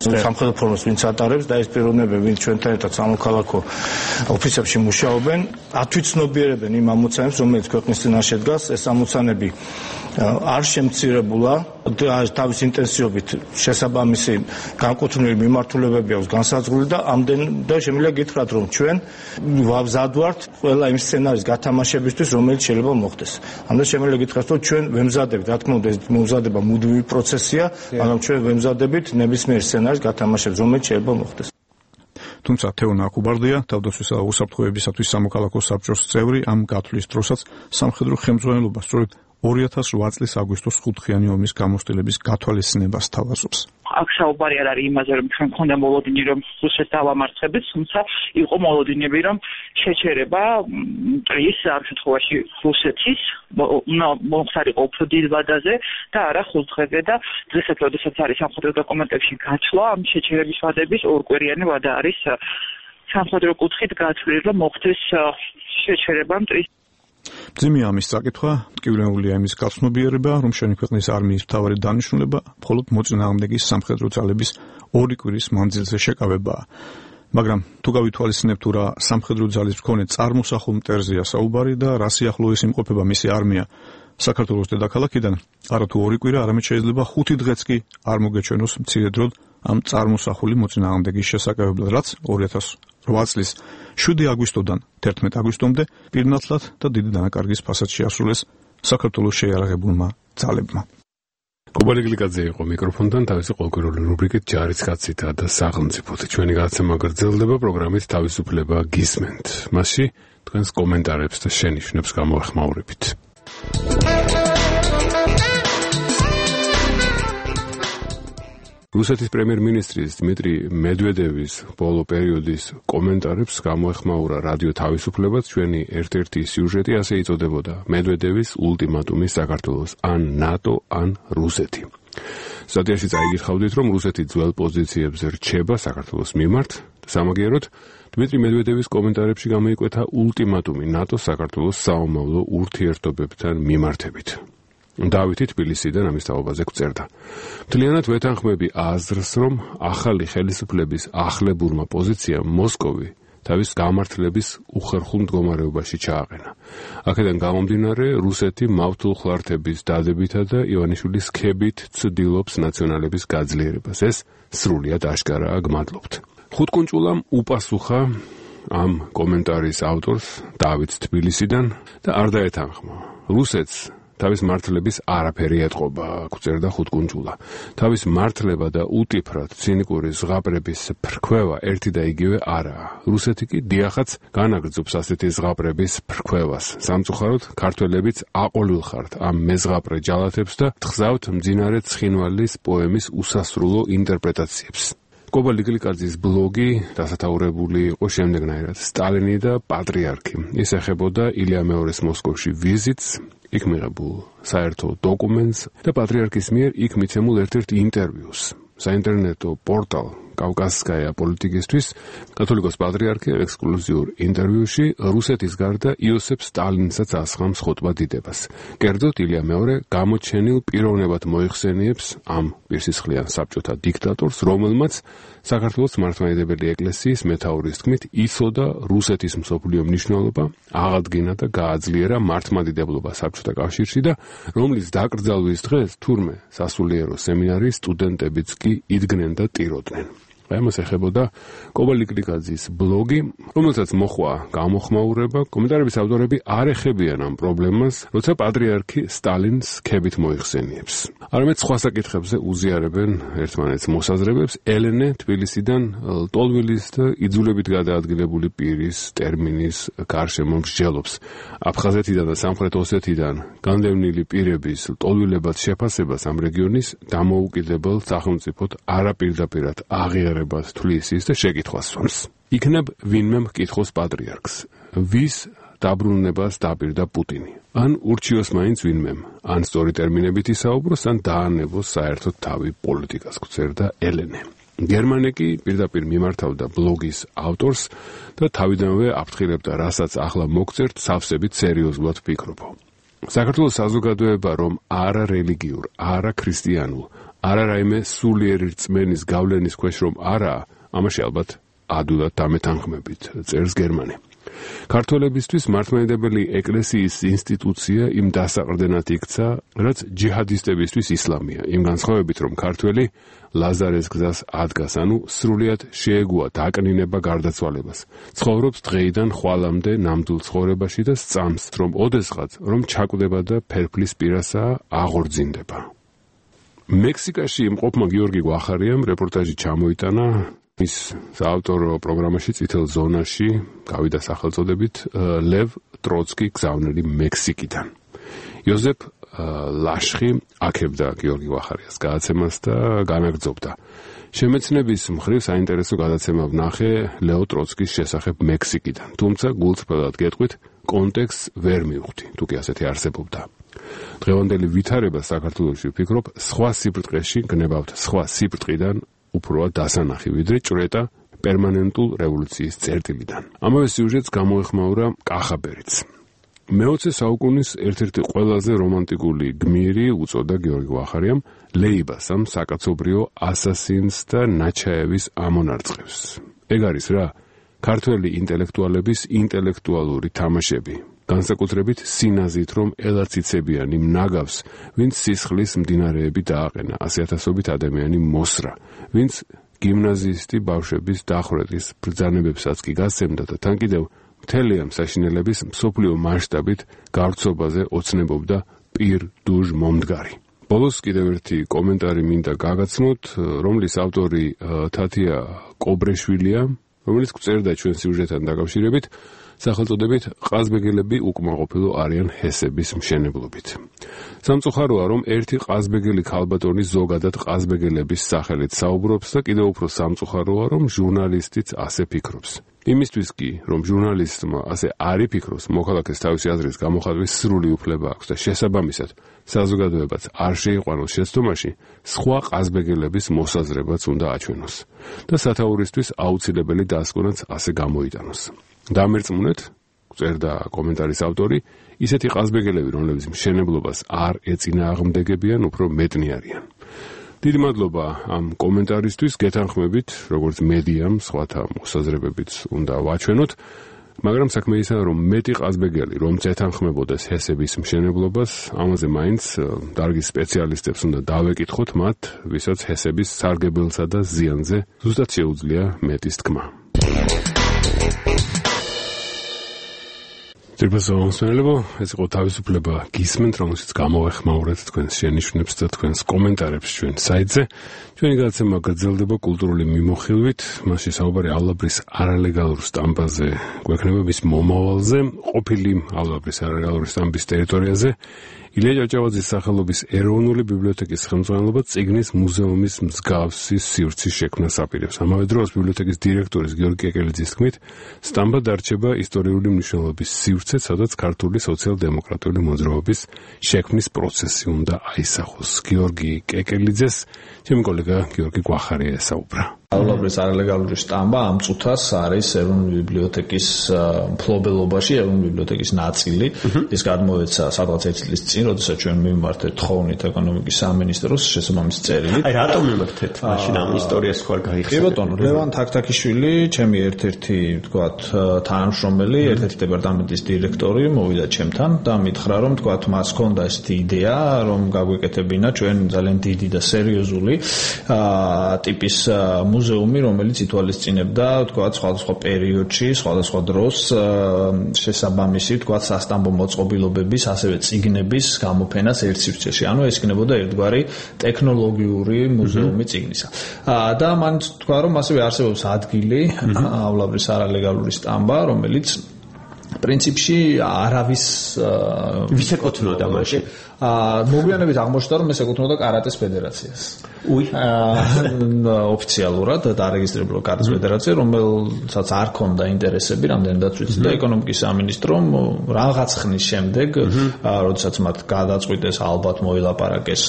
სამხედრო ფორმას ვინც ატარებს და ეს პიროვნებები ვინც ჩვენთან ერთად სამოქალაქო ოფისებში მუშაობენ, ათვიცნობიერებენ იმ ამოცანებს, რომელიც ქვეყნის წინაშე დგას. ეს ამოცანები არ შემცირებულა და თავის ინტენსივობით შესაბამისი განკუთვნილი მიმართულებები აქვს განსაზღვრული და ამდენდა შემიძლია გითხრათ, რომ ჩვენ ვაბზად ვართ ყველა იმ სცენარის გათამაშებისთვის, რომელიც შეიძლება მოხდეს. ამდენ შემიძლია გითხრათ, რომ ჩვენ ვემზადებით, რა თქმა უნდა, ეს მომზადება მუდმივი პროცესია, მაგრამ ჩვენ ვემზადებით ნებისმიერ სცენარის გათამაშებს, რომელიც შეიძლება მოხდეს. თუმცა თეონა აკუბარდია, თავდაცვისა და უსაფრთხოებისათვის სამოქალაქო საბჭოს წევრი, ამ გათვლის დროსაც სამხედრო ხელმძღვანელობა სწორედ 2008 წლის აგვისტოს 5-ხიანი ომის გამოცდილების გათვალისწინებას თავაზობს. აქ საუბარი არ არის იმაზე, რომ ჩვენ გქონდა მოლოდინი, რომ რუსეთს დავამარცხებთ, თუმცა იყო მოლოდინები, რომ შეჩერება მტრის ამ შემთხვევაში რუსეთის მომხდარიყო უფრო დიდ ვადაზე და არა 5 დღეზე და დღესაც, როდესაც არის სამხედრო დოკუმენტებში გაცვლა, ამ შეჩერების ვადების ორკვირიანი ვადა არის სამხედრო კუთხით გათვლილი, რომ მოხდეს შეჩერება მტრის. ძიმია ამის წაკითხვა, ტკივილებულია იმის გაცნობიერება, რომ შენი ქვეყნის არმიის მთავარი დანიშნულება მხოლოდ მოწინააღმდეგის სამხედრო ძალების 2 კვირის მანძილზე შეკავებაა. მაგრამ თუ გავითვალისწინებთ, თუ რა სამხედრო ძალის მქონე წარმოსახულ მტერზეა საუბარი და რა სიახლოვეს იმყოფება მისი არმია საქართველოს დედაქალაქიდან, არა თუ 2 კვირა, არამედ შეიძლება 5 დღეც კი არ მოგეჩვენოს მცირე დროდ ამ წარმოსახული მოწინააღმდეგის შესაკავებლად, რაც 2008 წლის 7 აგვისტოდან 11 აგვისტომდე პირნათლად და დიდი დანაკარგის ფასად შეასრულეს საქართველოს შეიარაღებულმა ძალებმა. კობალი გლიკაძე იყო მიკროფონთან, თავისი ყოველკვირეული რუბრიკით ჯარისკაცითა და სახელმწიფოთი. ჩვენი გადაცემა გრძელდება, პროგრამით თავისუფლება გისმენთ. მასში თქვენს კომენტარებს და შენიშვნებს გამოეხმაურებით. რუსეთის პრემიერ-მინისტრის დმიტრი მედვედევის ბოლო პერიოდის კომენტარებს გამოეხმაურა რადიო თავისუფლებაც. ჩვენი ერთ-ერთი სიუჟეტი ასე იწოდებოდა: მედვედევის ულტიმატუმი საქართველოს, ან ნატო, ან რუსეთი. სტატიაში წაიგიხავდით, რომ რუსეთი ძველ პოზიციებზე რჩება საქართველოს მიმართ. სამაგიეროდ, დმიტრი მედვედევის კომენტარებში გამოიკვეთა ულტიმატუმი ნატოს საქართველოს საომავლო ურთიერთობებთან მიმართებით. დავითი თბილისიდან ამის თაობაზე გვწერდა. მთლიანად ვეთანხმები აზრს, რომ ახალი ხელისუფლების ახლებურმა პოზიციამ მოსკოვი თავის გამართლების უხერხულ მდგომარეობაში ჩააყენა. აქედან გამომდინარე, რუსეთი მავთულხლართების დადებითა და ივანიშვილის ქებით ცდილობს ნაციონალების გაძლიერებას. ეს სრულიად აშკარაა, გმადლობთ. ხუთკუნჭულამ უპასუხა ამ კომენტარის ავტორს დავით თბილისიდან და არ დაეთანხმა. რუსეთს თავის მართლების არაფერი ეტყობა, გვწერდა ხუთკუნჭულა. თავის მართლება და უტიფრად ცინიკური ზღაპრების ფრქვევა ერთი და იგივე არაა. რუსეთი კი დიახაც განაგრძობს ასეთი ზღაპრების ფრქვევას. სამწუხაროდ, ქართველებიც აყოლვილ ხართ ამ მეზღაპრე ჯალათებს და თხზავთ მძინარე ცხინვალის პოემის უსასრულო ინტერპრეტაციებს. კობალი გლიკაძის ბლოგი დასათაურებული იყო შემდეგნაირად: სტალინი და პატრიარქი. ის ეხებოდა ილია მეორის მოსკოვში ვიზიტს, იქ მიღებულ საერთო დოკუმენტს და პატრიარქის მიერ იქ მიცემულ ერთ-ერთ ინტერვიუს. საინტერნეტო პორტალ კავკასკაია პოლიტიკისთვის კათოლიკოს პატრიარქი ექსკლუზიურ ინტერვიუში რუსეთის გარდა იოსებ სტალინსაც ასხამს ხოტბა დიდებას. კერძოდ ილია მეორე გამოჩენილ პიროვნებად მოიხსენიებს ამ პირსისხლიან საბჭოთა დიქტატორს, რომელმაც საქართველოს მართლმადიდებელი ეკლესიის მეთაურის თქმით იცოდა რუსეთის მსოფლიო მნიშვნელობა, აღადგინა და გააძლიერა მართლმადიდებლობა საბჭოთა კავშირში და რომლის დაკრძალვის დღეს თურმე სასულიერო სემინარიის სტუდენტებიც კი იდგნენ და ტიროდნენ. ამას ეხებოდა კობალი გლიკაძის ბლოგი, რომელსაც მოხვა გამოხმაურება. კომენტარების ავტორები არ ეხებიან ამ პრობლემას, როცა პატრიარქი სტალინს ქებით მოიხსენიებს. არამედ სხვა საკითხებზე უზიარებენ ერთმანეთს მოსაზრებებს. ელენე თბილისიდან ლტოლვილის და იძულებით გადაადგილებული პირის ტერმინის გარშემო მსჯელობს. აფხაზეთიდან და სამხრეთ ოსეთიდან განდევნილი პირების ლტოლვილებად შეფასებას ამ რეგიონის დამოუკიდებელ სახელმწიფოდ არაპირდაპირად აღიარება თვლის ის და შეკითხვას სვამს. იქნებ ვინმე მკითხოს პატრიარქს, ვის დაბრუნებას დაპირდა პუტინი. ან ურჩიოს მაინც ვინმემ, ან სწორი ტერმინებით ისაუბროს, ან დაანებოს საერთოდ თავი პოლიტიკას, გვწერდა ელენე. გერმანე კი პირდაპირ მიმართავდა ბლოგის ავტორს და თავიდანვე აფრთხილებდა, რასაც ახლა მოგწერთ, სავსებით სერიოზულად ვფიქრობო. საქართველოს საზოგადოება რომ არა რელიგიურ, არა ქრისტიანულ, არა რაიმე სულიერი რწმენის გავლენის ქვეშ რომ არაა, ამაში ალბათ ადვილად დამეთანხმებით, წერს გერმანე. ქართველებისთვის მართლმადიდებელი ეკლესიის ინსტიტუცია იმ დასაყრდენად იქცა, რაც ჯიჰადისტებისთვის ისლამია, იმ განსხვავებით, რომ ქართველი ლაზარეს გზას ადგას, ანუ სრულიად შეეგუა დაკნინება გარდაცვალებას. ცხოვრობს დღეიდან ხვალამდე ნამდვილ ცხოვრებაში და სწამს, რომ ოდესღაც რომ ჩაკვდება და ფერფლის პირასაა აღორძინდება. მექსიკაში იმყოფმა გიორგი გვახარიამ რეპორტაჟი ჩამოიტანა ის საავტორო პროგრამაში წითელ ზონაში გავიდა სახელწოდებით ლევ ტროცკი გზავნილი მექსიკიდან. იოზეფ ლაშხი აქებდა გიორგი გვახარიას გადაცემას და განაგრძობდა. შემეცნების მხრივ საინტერესო გადაცემა ვნახე ლეო ტროცკის შესახებ მექსიკიდან, თუმცა გულწრფელად გეტყვით, კონტექსტს ვერ მივხვდი, თუ კი ასეთი არსებობდა. დღევანდელი ვითარება საქართველოში ვფიქრობ, სხვა სიბრტყეში გნებავთ სხვა სიბრტყიდან უფროა დასანახი, ვიდრე ჭრეტა პერმანენტულ რევოლუციის წერტილიდან. ამავე სიუჟეტს გამოეხმაურა კახაბერიც. მე-20 საუკუნის ერთ-ერთი ყველაზე რომანტიკული გმირი უწოდა გიორგი გვახარიამ ლეიბასამ საკაცობრიო ასასინს და ნაჩაევის ამონარწყებს. ეგ არის რა, ქართველი ინტელექტუალების ინტელექტუალური თამაშები. განსაკუთრებით სინაზით, რომ ელაციცებიან იმ ნაგავს, ვინც სისხლის მდინარეები დააყენა, 100,000-ობით ადამიანი მოსრა, ვინც გიმნაზისტი ბავშვების დახვრეტის ბრძანებებსაც კი გასცემდა და თან კიდევ მთელი ამ საშინელების მსოფლიო მასშტაბით გავრცობაზე ოცნებობდა პირ-დუჟ მომდგარი. ბოლოს კიდევ ერთი კომენტარი მინდა გაგაცნოთ, რომლის ავტორი თათია კობრეშვილია, რომელიც წერდა ჩვენ სიუჟეტთან დაკავშირებით, სახელწოდებით ყაზბეგელები უკმაყოფილო არიან ჰესების მშენებლობით. სამწუხაროა, რომ ერთი ყაზბეგელი ქალბატონი ზოგადად ყაზბეგელების სახელით საუბრობს და კიდევ უფრო სამწუხაროა, რომ ჟურნალისტიც ასე ფიქრობს. იმისთვის კი, რომ ჟურნალისტმა ასე არ იფიქროს, მოქალაქეს თავისი აზრის გამოხატვის სრული უფლება აქვს და შესაბამისად საზოგადოებაც არ შეიყვანოს შეცდომაში, სხვა ყაზბეგელების მოსაზრებაც უნდა აჩვენოს და სათაურისთვის აუცილებელი დასკვნაც ასე გამოიტანოს. დამერწმუნეთ, წერდა კომენტარის ავტორი, ისეთი ყაზბეგელები, რომლებიც მშენებლობას არ ეწინააღმდეგებიან, უფრო მეტნი არიან. დიდი მადლობა ამ კომენტარისთვის, გეთანხმებით, როგორც მედიამ სხვათა მოსაზრებებით უნდა ვაჩვენოთ, მაგრამ საქმე ისაა, რომ მეტი ყაზბეგელი, რომც ეთანხმებოდეს ჰესების მშენებლობას, ამაზე მაინც დარგის სპეციალისტებს უნდა დავეკითხოთ მათ, ვისაც ჰესების სარგებელსა და ზიანზე ზუსტად შეუძლია მეტის თქმა. ძირფასო ეს იყო თავისუფლება გისმენთ, რომელშიც გამოვეხმაურეთ თქვენს შენიშვნებს და თქვენს კომენტარებს ჩვენ საიტზე. ჩვენი გადაცემა გრძელდება კულტურული მიმოხილვით, მასში საუბარი ალაბრის არალეგალურ სტამბაზე გვექნება მის მომავალზე, ყოფილი ალაბრის არალეგალური სტამბის ტერიტორიაზე. ილია ჭავჭავაძის სახელობის ეროვნული ბიბლიოთეკის ხელმძღვანელობა წიგნის მუზეუმის მსგავსი სივრცის შექმნას აპირებს. ამავე დროს ბიბლიოთეკის დირექტორის გიორგი კეკელიძის თქმით, სტამბა დარჩება ისტორიული მნიშვნელობის სივრცე, სადაც ქართული სოციალ-დემოკრატიული მოძრაობის შექმნის პროცესი უნდა აისახოს. გიორგი კეკელიძეს ჩემი კოლეგა გიორგი გვახარია ესაუბრა. ალაბრის არალეგალური სტამბა ამ წუთას არის ეროვნული ბიბლიოთეკის მფლობელობაში, ეროვნული ბიბლიოთეკის ნაწილი. ის გადმოეცა სადღაც 1 წლის წინ, როდესაც ჩვენ მიმართეთ თხოვნით ეკონომიკის სამინისტროს შესაბამისი წერილი. აი რატომ მიმართეთ მაშინ ამ ისტორიას ხარ გაიხსნა? კი ბატონო, ლევან თაქთაქიშვილი, ჩემი ერთ-ერთი, თქვათ, თანამშრომელი, ერთ-ერთი დეპარტამენტის დირექტორი მოვიდა ჩემთან და მითხრა, რომ თქვათ, მას ჰქონდა ესეთი იდეა, რომ გაგვეკეთებინა ჩვენ ძალიან დიდი და სერიოზული ტიპის მუზეუმი, რომელიც ითვალისწინებდა, თქვათ, სხვადასხვა პერიოდში, სხვადასხვა დროს შესაბამისი, თქვათ, სასტამბო მოწყობილობების, ასევე წიგნების გამოფენას ერთ სივრცეში. ანუ ეს იქნებოდა ერთგვარი ტექნოლოგიური მუზეუმი წიგნისა. და მან თქვა, რომ ასევე არსებობს ადგილი, ალაბრის არალეგალური სტამბა, რომელიც პრინციპში არავის ვისეკუთვნოდა მაშინ მოგვიანებით აღმოჩნდა რომ ეს ეკუთვნოდა კარატეს ფედერაციას. ოფიციალურად დარეგისტრირებული კარატეს ფედერაცია, რომელსაც არ ჰქონდა ინტერესები, რამდენადაც ვიცი და ეკონომიკის სამინისტრომ რაღაც ხნის შემდეგ, როდესაც მათ გადაწყვიტეს ალბათ მოილაპარაკეს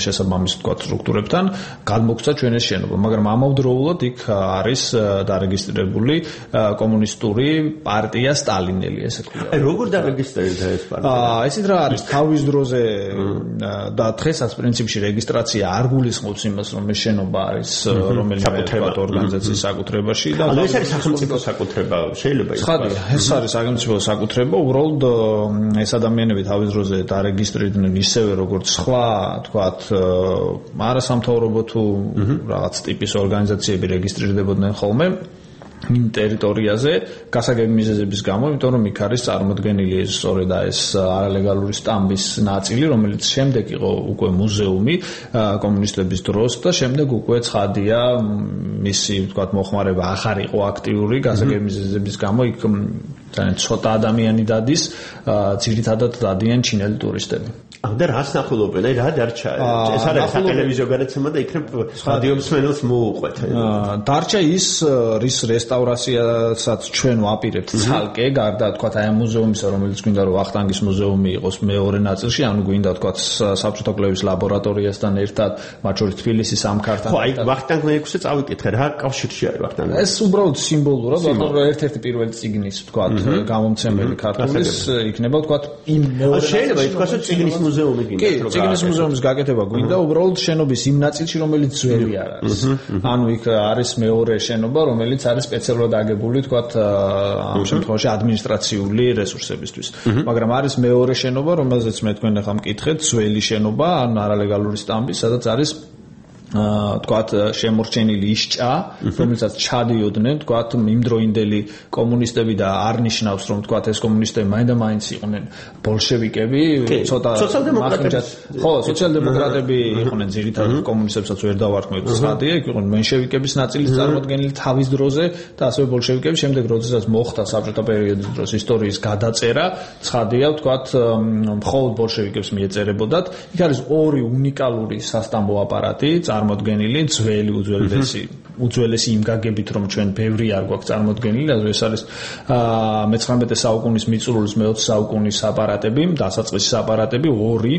შესაბამის თქვა სტრუქტურებთან, გადმოგცა ჩვენ ეს შენობა, მაგრამ ამავდროულად იქ არის დარეგისტრირებული კომუნისტური პარტია სტალინელი, ესე ქვია. როგორ დარეგისტრირდა ეს პარტია? ესეთ რა არის, თავის დროზე და დღესაც პრინციპში რეგისტრაცია არ გულისხმობს იმას, რომ ეს შენობა არის რომელიმე ორგანიზაციის საკუთრებაში და ეს არის სახელმწიფო საკუთრება, შეიძლება იცოდეს. ეს არის სახელმწიფო საკუთრება, უბრალოდ ეს ადამიანები თავის დროზე დარეგისტრირდნენ ისევე როგორც სხვა, თქვათ, არასამთავრობო თუ რაღაც ტიპის ორგანიზაციები რეგისტრირდებოდნენ ხოლმე იმ ტერიტორიაზე გასაგები მიზეზების გამო, იმიტომ რომ იქ არის წარმოდგენილი სწორედ ეს არალეგალური სტამბის ნაწილი, რომელიც შემდეგ იყო უკვე მუზეუმი კომუნისტების დროს და შემდეგ უკვე ცხადია მისი თქვათ მოხმარება ახარ იყო აქტიური გასაგები მიზეზების გამო იქ ძალიან ცოტა ადამიანი დადის, ძირითადად დადიან ჩინელი ტურისტები. და რას ნახულობენ? აი რა დარჩა? ეს არის სატელევიზიო განაცემა და იქნებ რადიო მსმენელს მოუყვეთ. დარჩა ის რის რესტავრაციასაც ჩვენ ვაპირებთ ცალკე, გარდა თქვათ აი ამ მუზეუმისა, რომელიც გვინდა რომ ვახტანგის მუზეუმი იყოს მეორე ნაწილში, ანუ გვინდა თქვათ საბჭოთა კვლევის ლაბორატორიასთან ერთად, მათ შორის თბილისის სამქართან. ხო, აი ვახტანგ მეექვსე წავიკითხე, რა კავშირში არის ვახტანგ? ეს უბრალოდ სიმბოლურად, ერთ-ერთი პირველი წიგნის თქვათ გამომცემელი ქართულის იქნება თქვათ იმ მეორე შეიძლება ითქვას რომ წიგნის მუზეუმი გინდა რომ წიგნის მუზეუმის გაკეთება გვინდა უბრალოდ შენობის იმ ნაწილში რომელიც ძველი არ არის. ანუ იქ არის მეორე შენობა რომელიც არის სპეციალურად აგებული თქვათ ამ შემთხვევაში ადმინისტრაციული რესურსებისთვის. მაგრამ არის მეორე შენობა რომელზეც მე თქვენ ახლა მკითხეთ ძველი შენობა ან არალეგალური სტამბი სადაც არის თქვათ შემორჩენილი ის ჭა, რომელსაც ჩადიოდნენ თქვათ იმდროინდელი კომუნისტები და არ ნიშნავს რომ თქვათ ეს კომუნისტები მაინდა-მაინც იყვნენ ბოლშევიკები, ცოტა ხო, სოციალ-დემოკრატები იყვნენ ძირითადად კომუნისტებსაც ვერ დავარქმევთ ცხადია, იქ იყვნენ მენშევიკების ნაწილის წარმოდგენილი თავის დროზე და ასევე ბოლშევიკები შემდეგ როდესაც მოხდა საბჭოთა პერიოდის დროს ისტორიის გადაწერა, ცხადია თქვათ მხოლოდ ბოლშევიკებს მიეწერებოდათ. იქ არის ორი უნიკალური სასტამბო აპარატი წარმოდგენილი ძველი უძველესი იმ გაგებით რომ ჩვენ ბევრი არ გვაქვს წარმოდგენილი ეს არის მე-19 საუკუნის მიწურულის მე-20 საუკუნის აპარატები დასაწყისის აპარატები ორი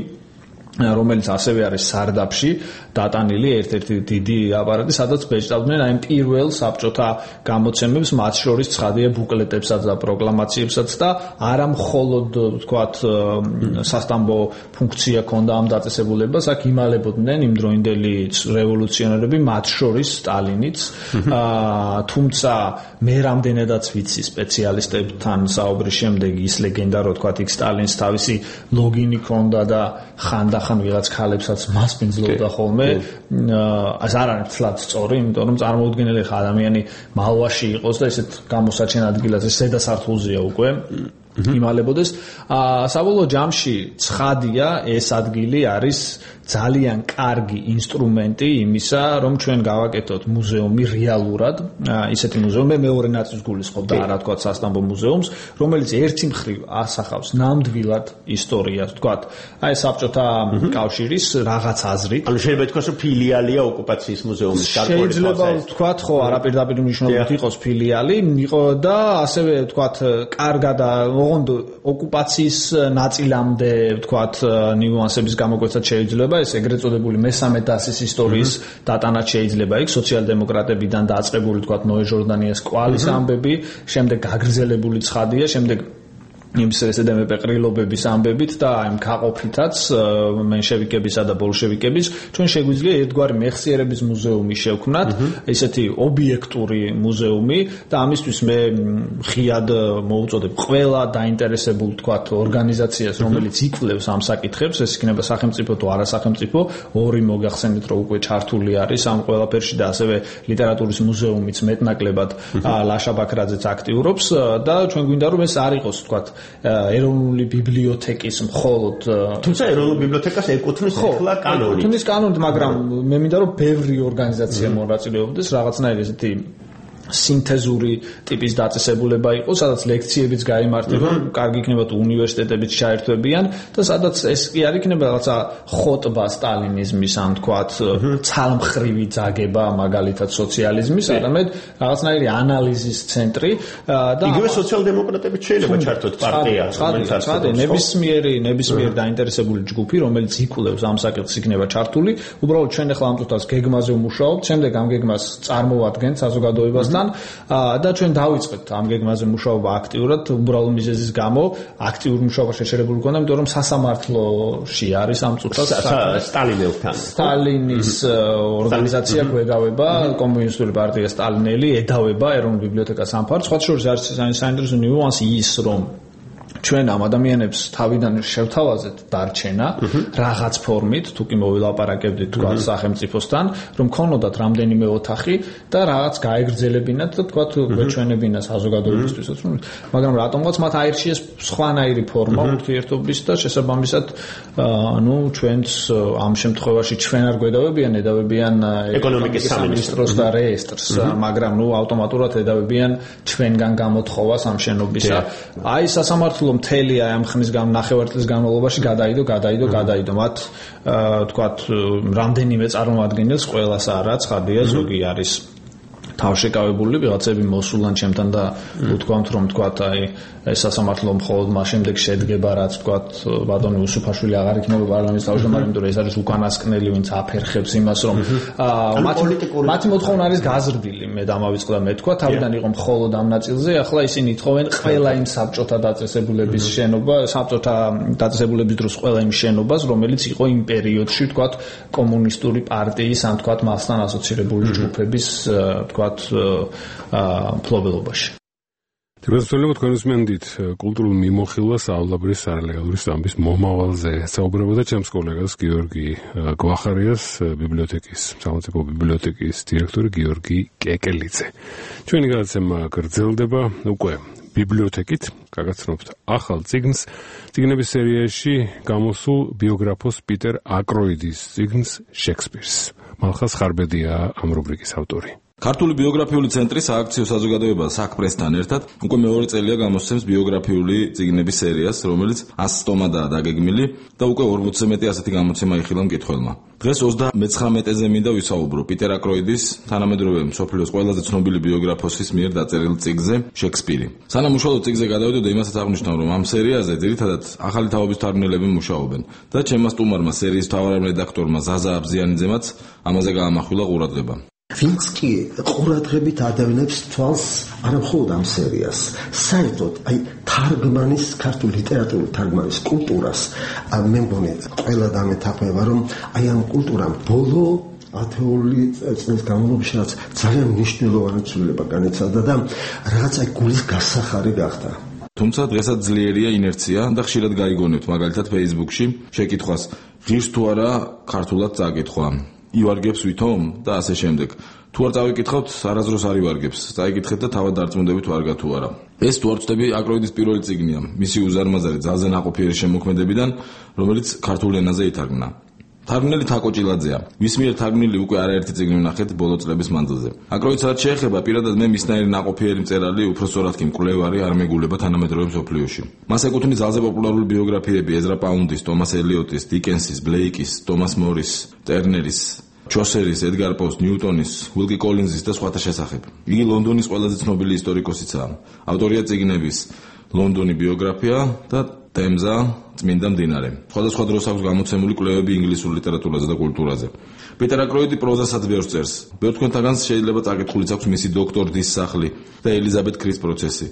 რომელიც ასევე არის სარდაფში დატანილი ერთ-ერთი დიდი აპარატი სადაც ბეჭდავდნენ აი პირველ საბჭოთა გამოცემებს მათ შორის ცხადია ბუკლეტებსაც და პროკლამაციებსაც და არა მხოლოდ ვთქვათ სასტამბო ფუნქცია ჰქონდა ამ დაწესებულებას აქ იმალებოდნენ იმდროინდელი რევოლუციონერები მათ შორის სტალინიც თუმცა მე რამდენადაც ვიცი სპეციალისტებთან საუბრის შემდეგ ის ლეგენდა რომ ვთქვათ იქ სტალინს თავისი ლოგინი ჰქონდა და ხანდახან ვიღაც ქალებსაც მასპინძლობდა ხოლმე ეს არ არის თლად სწორი იმიტომ რომ წარმოუდგენელი ხა ადამიანი მალვაში იყოს და ესეთ გამოსაჩენ ადგილაზე ზედა სართულზეა უკვე იმალებოდეს საბოლოო ჯამში ცხადია ეს ადგილი არის ძალიან კარგი ინსტრუმენტი იმისა რომ ჩვენ გავაკეთოთ მუზეუმი რეალურად ისეთი მუზეუმი მეორე ნაწილს გულისხმობ და არა თქვა სასტამბო მუზეუმს რომელიც ერთი მხრივ ასახავს ნამდვილად ისტორიას თქვა აი საბჭოთა კავშირის რაღაც აზრით ანუ შეიძლება ითქვას რომ ფილიალია ოკუპაციის მუზეუმის შეიძლება თქვა ხო არაპირდაპირ მნიშვნელობით იყოს ფილიალი იყო და ასევე თქვა კარგად ოკუპაციის ნაწილამდე ვთქვათ ნიუანსების გამოკვეცად შეიძლება ეს ეგრეთ წოდებული მესამე დასის ისტორიის დატანაც შეიძლება იქ სოციალ-დემოკრატებიდან დაწყებული ვთქვათ ნოე ჟორდანიას კვალის ამბები შემდეგ გაგრძელებული ცხადია შემდეგ იმის ესედემე პეყრილობების ამბებით და იმ გაყოფითაც მენშევიკებისა და ბოლშევიკების ჩვენ შეგვიძლია ერთგვარი მეხსიერების მუზეუმი შევქმნათ ესეთი ობიექტური მუზეუმი და ამისთვის მე ხიად მოუწოდებ ყველა დაინტერესებულ თქვათ ორგანიზაციას რომელიც იკვლევს ამ საკითხებს ეს იქნება სახელმწიფო თუ არასახელმწიფო ორი მოგახსენეთ რომ უკვე ჩართული არის ამ ყველაფერში და ასევე ლიტერატურის მუზეუმიც მეტნაკლებად ლაშა ბაქრაძეც აქტიურობს და ჩვენ გვინდა რომ ეს არ იყოს თქვათ ეროვნული ბიბლიოთეკის მხოლოდ თუმცა ეროვნული ბიბლიოთეკას ეკუთვნის ახლა კანონი ეკუთვნის კანონით მაგრამ მე მინდა რომ ბევრი ორგანიზაცია მონაწილეობდეს რაღაცნაირი ესეთი სინთეზური ტიპის დაწესებულება იყო, სადაც ლექციებიც გაიმართება, კარგი იქნება თუ უნივერსიტეტებიც ჩაერთვებიან და სადაც ეს კი არ იქნება რაღაცა ხოტბა სტალინიზმის, ან თქვათ, ცალმხრივი ძაგება მაგალითად სოციალიზმის, არამედ რაღაცნაირი ანალიზის ცენტრი და იგივე სოციალ-დემოკრატებიც შეიძლება ჩართოთ პარტია, რომელიც არსებობს. ნებისმიერ დაინტერესებული ჯგუფი, რომელიც იკვლევს ამ საკითხს, იქნება ჩართული. უბრალოდ ჩვენ ახლა ამ წუთას გეგმაზე ვმუშაობთ, შემდეგ ამ გეგმას წარმოვადგენთ საზოგადოებასთან და ჩვენ დავიწყებთ ამ გეგმაზე მუშაობა აქტიურად, უბრალო მიზეზის გამო აქტიურ მუშაობა შეჩერებული გქონდა, იმიტომ რომ სასამართლოში არის ამ წუთას სტალინის ორგანიზაცია გვედავება, კომუნისტური პარტია სტალინელი ედავება ეროვნულ ბიბლიოთეკას ამ ფარგლებს. სხვა შორის არის საინტერესო ნიუანსი ის, რომ ჩვენ ამ ადამიანებს თავიდან შევთავაზეთ დარჩენა რაღაც ფორმით, თუ კი მოვილაპარაკებდით თქვა სახელმწიფოსთან, რომ ქონოდათ რამდენიმე ოთახი და რაღაც გაეგრძელებინათ და თქვა გვეჩვენებინა საზოგადოებისთვისაც, მაგრამ რატომღაც მათ აირჩიეს სხვანაირი ფორმა ურთიერთობის და შესაბამისად ჩვენც ამ შემთხვევაში ჩვენ არ გვედავებიან, ედავებიან ეკონომიკის სამინისტროს და რეესტრს, მაგრამ ავტომატურად ედავებიან ჩვენგან გამოთხოვას ამ შენობისა. აი სასამართლო მთელი ამ ხნის ნახევარწლის განმავლობაში გადაიდო მათ თქვათ რამდენიმე წარმომადგენელს ყველას არა ცხადია ზოგი არის თავშეკავებული ვიღაცები მოსულან ჩემთან და უთქვამთ რომ თქვათ აი ეს სასამართლო მხოლოდ მას შემდეგ შედგება რაც თქვათ ბატონი უსუფაშვილი აღარ იქნება პარლამენტის თავმჯდომარე, იმიტომ რომ ეს არის უკანასკნელი ვინც აფერხებს იმას რომ მათი მოთხოვნა არის გაზრდილი, მე დამავიწყდა მე თქვა თავიდან იყო მხოლოდ ამ ნაწილზე, ახლა ისინი ითხოვენ ყველა იმ საბჭოთა დაწესებულების შენობა, საბჭოთა დაწესებულების დროს ყველა იმ შენობას, რომელიც იყო იმ პერიოდში თქვათ კომუნისტური პარტიის ან თქვათ მასთან ასოცირებული ჯგუფების თქვათ მფლობელობაში. თვითონ თქვენს მენდით კულტურულ მიმოხილვას აავლაბრის არალეგალური სტამბის მომავალზე საუბრობდა ჩემს კოლეგას გიორგი გვახარიას, ბიბლიოთეკის, სახელმწიფო ბიბლიოთეკის დირექტორი გიორგი კეკელიძე. ჩვენი გადაცემა გრძელდება უკვე ბიბლიოთეკით, გაგაცნობთ ახალ წიგნს, წიგნების სერიაში გამოსულ ბიოგრაფოს პიტერ აკროიდის წიგნს შექსპირს. მალხას ხარბედია ამ რუბრიკის ავტორი. ქართული ბიოგრაფიული ცენტრი სააქციო საზოგადოება საქმესთან ერთად უკვე მეორე წელია გამოსცემს ბიოგრაფიული წიგნების სერიას, რომელიც 100 ტომადაა დაგეგმილი და უკვე 40-ზე მეტი ასეთი გამოცემა იხილა მკითხველმა. დღეს 39-ზე მინდა ვისაუბრო პიტერ აკროიდის, თანამედროვე მსოფლიოს ყველაზე ცნობილი ბიოგრაფოსის მიერ დაწერილ წიგნზე შექსპირი. სანამ უშუალოდ წიგნზე გადავიდოდა, იმასაც აღნიშნავ, რომ ამ სერიაზე ძირითადად ახალი თაობის თარგმნელები მუშაობენ და ჩემმა სტუმარმა სერიის მთავარ რედაქტორმა ზაზა აბზიანიძემაც ამაზე გაამახვილა ყურადღება. ვინც კი ყურადღებით ადევნებს თვალს არამხოლოდ ამ სერიას, საერთოდ აი თარგმანის, ქართული ლიტერატურული თარგმანის კულტურას, მე მგონი ყველა დამეთანხმება, რომ აი ამ კულტურამ ბოლო ათეული წლის განმავლობაში რაც ძალიან მნიშვნელოვანი ცვლილება განიცადა და რაღაც აი გულის გასახარი გახდა. თუმცა დღესაც ძლიერია ინერცია და ხშირად გაიგონებთ მაგალითად Facebook-ში შეკითხვას, ღირს თუ არა ქართულად წაკითხვა. ივარგებს ვითომ და ასე შემდეგ. თუ არ წავიკითხავთ, არასდროს არ ივარგებს. წაიკითხეთ და თავად დარწმუნდებით ვარგა თუ არა. ეს თუ არ ვწდები აკროიდის პირველი წიგნია, მისი უზარმაზარი ძალზე ნაყოფიერი შემოქმედებიდან, რომელიც ქართულ ენაზე ითარგმნა. თარგმნელი თაკო ჭილაძეა. ვის მიერ თარგმნილი უკვე არაერთი წიგნი ვნახეთ ბოლო წლების მანძილზე. აკროიდს რაც შეეხება, პირადად მე მისნაირი ნაყოფიერი მწერალი, უпростоრად კი მკვლევარი არ მეგულება თანამედროვე მსოფლიოში. მას ეკუთვნის ძალზე პოპულარული ბიოგრაფიები ეზრა პაუნდის, თომას ელიოტის, დიკენსის, ბლეიკის, თომას მორის, ტერნერის, ჩოსერის, ედგარ პოს, ნიუტონის, უილკი კოლინზის და სხვათა შესახებ. იგი ლონდონის ყველაზე ცნობილი ისტორიკოსიცაა. ავტორია წიგნების ლონდონი ბიოგრაფია და თემზა წმინდა მდინარე. სხვადასხვა დროს აქვს გამოცემული კვლევები ინგლისურ ლიტერატურაზე და კულტურაზე. პიტერ აკროიდი პროზასაც ბევრს წერს. ბევრ თქვენთაგანს შეიძლება წაკითხულიც აქვს მისი დოქტორ დის სახლი და ელიზაბეთ კრის პროცესი.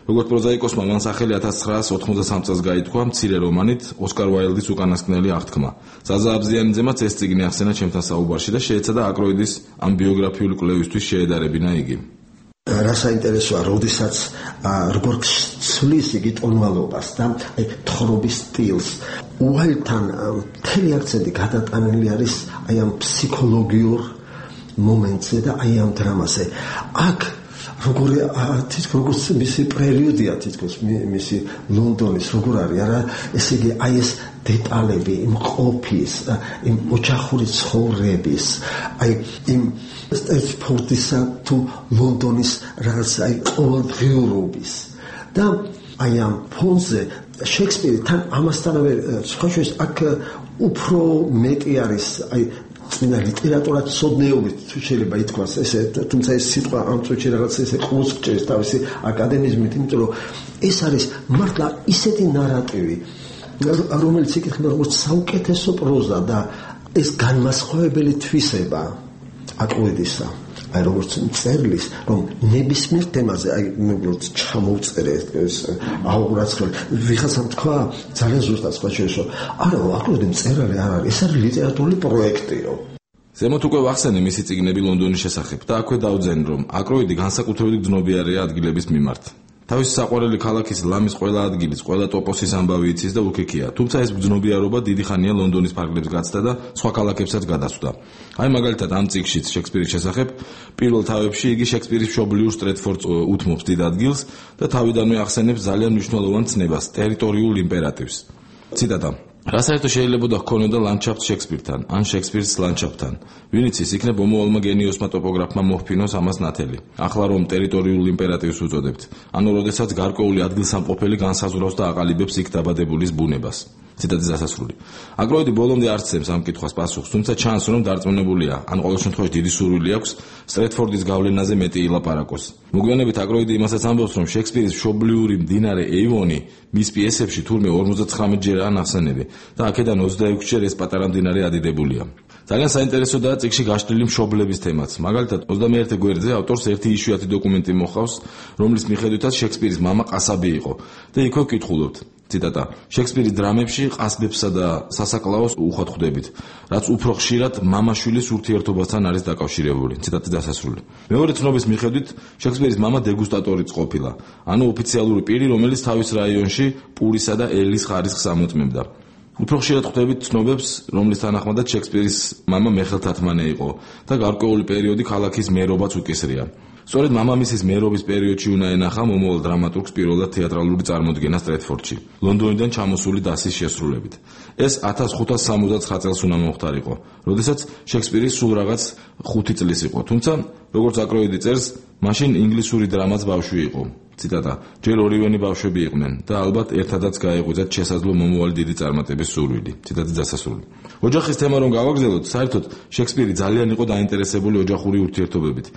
როგორც პროზაიკოსმა მან სახელი 1983 წელს გაითქვა მცირე რომანით ოსკარ უაილდის უკანასკნელი აღთქმა. ზაზა აბზიანიძემაც ეს წიგნი ახსენა ჩემთან საუბარში და შეეცადა აკროიდის ამ ბიოგრაფიული კვლევისთვის შეედარებინა იგი. რა საინტერესოა, როდესაც როგორ ცვლის იგი ტონალობას და თხრობის სტილს. უაილთან მთელი აქცენტი გადატანილი არის აი ამ ფსიქოლოგიურ მომენტზე და აი ამ დრამაზე. აქ როგორც მისი პერიოდია თითქოს მისი ლონდონის როგორ არის არა ესე იგი აი ეს დეტალები იმ ყოფის იმ ოჯახური ცხოვრების აი იმ სტეფორდისა თუ ლონდონის რაღაც აი ყოველდღიურობის და აი ამ ფონზე შექსპირი თან ამასთანავე სხვაშორის აქ უფრო მეტი არის აი წინა ლიტერატურა ცოდნეობით თუ შეიძლება ითქვას ესე თუმცა ეს სიტყვა ამ წუთში რაღაც ესე ყურს გჭირს თავისი აკადემიზმით იმიტომ რომ ეს არის მართლა ისეთი ნარატივი რომელიც იკითხება როგორც საუკეთესო პროზა და ეს განმასხვავებელი თვისება აკროიდისა აი როგორც წერლის რომ ნებისმიერ თემაზე აი როგორც ჩამოვწერე ეს აუღრაცხველი ვიღაცამ თქვა ძალიან ზუსტად სხვა შეშო არა აკროიდი მწერალი არ არის ეს არის ლიტერატურული პროექტიო ზემოთ უკვე ვახსენე მისი წიგნები ლონდონის შესახებ და აქვე დავძენ რომ აკროიდი განსაკუთრებით გრძნობიარეა ადგილების მიმართ თავისი საყვარელი ქალაქის ლამის ყველა ადგილის, ყველა ტოპოსის ამბავი იცის და უქიქია. თუმცა ეს გრძნობიარობა დიდი ხანია ლონდონის ფარგლებს გაცდა და სხვა ქალაქებსაც გადასვდა. აი მაგალითად ამ წიგნშიც შექსპირის შესახებ პირველ თავებში იგი შექსპირის მშობლიურ სტრეტფორდს უთმობს დიდ ადგილს და თავიდანვე ახსენებს ძალიან მნიშვნელოვან ცნებას ტერიტორიულ იმპერატივს. ციტატა რა საერთო შეიძლება ჰქონოდა ლანდშაფტ შექსპირთან, ან შექსპირის ლანდშაფტთან. ვინც ის იქნებ მომავალმა გენიოსმა ტოპოგრაფმა მოჰფინოს ამას ნათელი. ახლა რომ ტერიტორიულ იმპერატივს უწოდებთ, ანუ როდესაც გარკვეული ადგილსამყოფელი განსაზღვრავს და აყალიბებს იქ დაბადებულის ბუნებას. ციტატის დასასრული. აკროიდი ბოლომდე არ ცემს ამ კითხვას პასუხს, თუმცა ჩანს რომ დარწმუნებულია, ან ყოველ შემთხვევაში დიდი სურვილი აქვს სტრეტფორდის გავლენაზე მეტი ილაპარაკოს. მოგვიანებით აკროიდი იმასაც ამბობს, რომ შექსპირის მშობლიური მდინარე ეივონი მის პიესებში თურმე 59 ჯერაა ნახსენები და აქედან 26 ჯერ ეს პატარა მდინარე ადიდებულია. ძალიან საინტერესოდაა წიგნში გაშლილი მშობლების თემაც. მაგალითად 21 გვერდზე ავტორს ერთი იშვიათი დოკუმენტი მოჰყავს, რომლის მიხედვითაც შექსპირის მამა ყასაბი იყო და იქვე ვკითხულობთ. ციტატა შექსპირის დრამებში ყასბებსა და სასაკლაოს უხვად ხვდებით, რაც უფრო ხშირად მამა-შვილის ურთიერთობასთან არის დაკავშირებული. ციტატის დასასრული. მეორე ცნობის მიხედვით შექსპირის მამა დეგუსტატორიც ყოფილა, ანუ ოფიციალური პირი, რომელიც თავის რაიონში პურისა და ელის ხარისხს ამოწმებდა. უფრო ხშირად ხვდებით ცნობებს, რომლის თანახმადაც შექსპირის მამა მეხელთათმანე იყო და გარკვეული პერიოდი ქალაქის მერობაც უკისრია. სწორედ მამამისის მერობის პერიოდში უნდა ენახა მომავალ დრამატურგს პირველად თეატრალური წარმოდგენა სტრეტფორდში, ლონდონიდან ჩამოსული დასის შესრულებით. ეს 1569 წელს უნდა მომხდარიყო, როდესაც შექსპირი სულ რაღაც 5 წლის იყო, თუმცა როგორც აკროიდი წერს, მაშინ ინგლისური დრამაც ბავშვი იყო. ციტატა ჯერ ორივენი ბავშვები იყვნენ და ალბათ ერთადაც გაეღვიძათ შესაძლო მომავალი დიდი წარმატების სურვილი. ციტატის დასასრული. ოჯახის თემა რომ გავაგრძელოთ, საერთოდ შექსპირი ძალიან იყო დაინტერესებული ოჯახური ურთიერთობებით.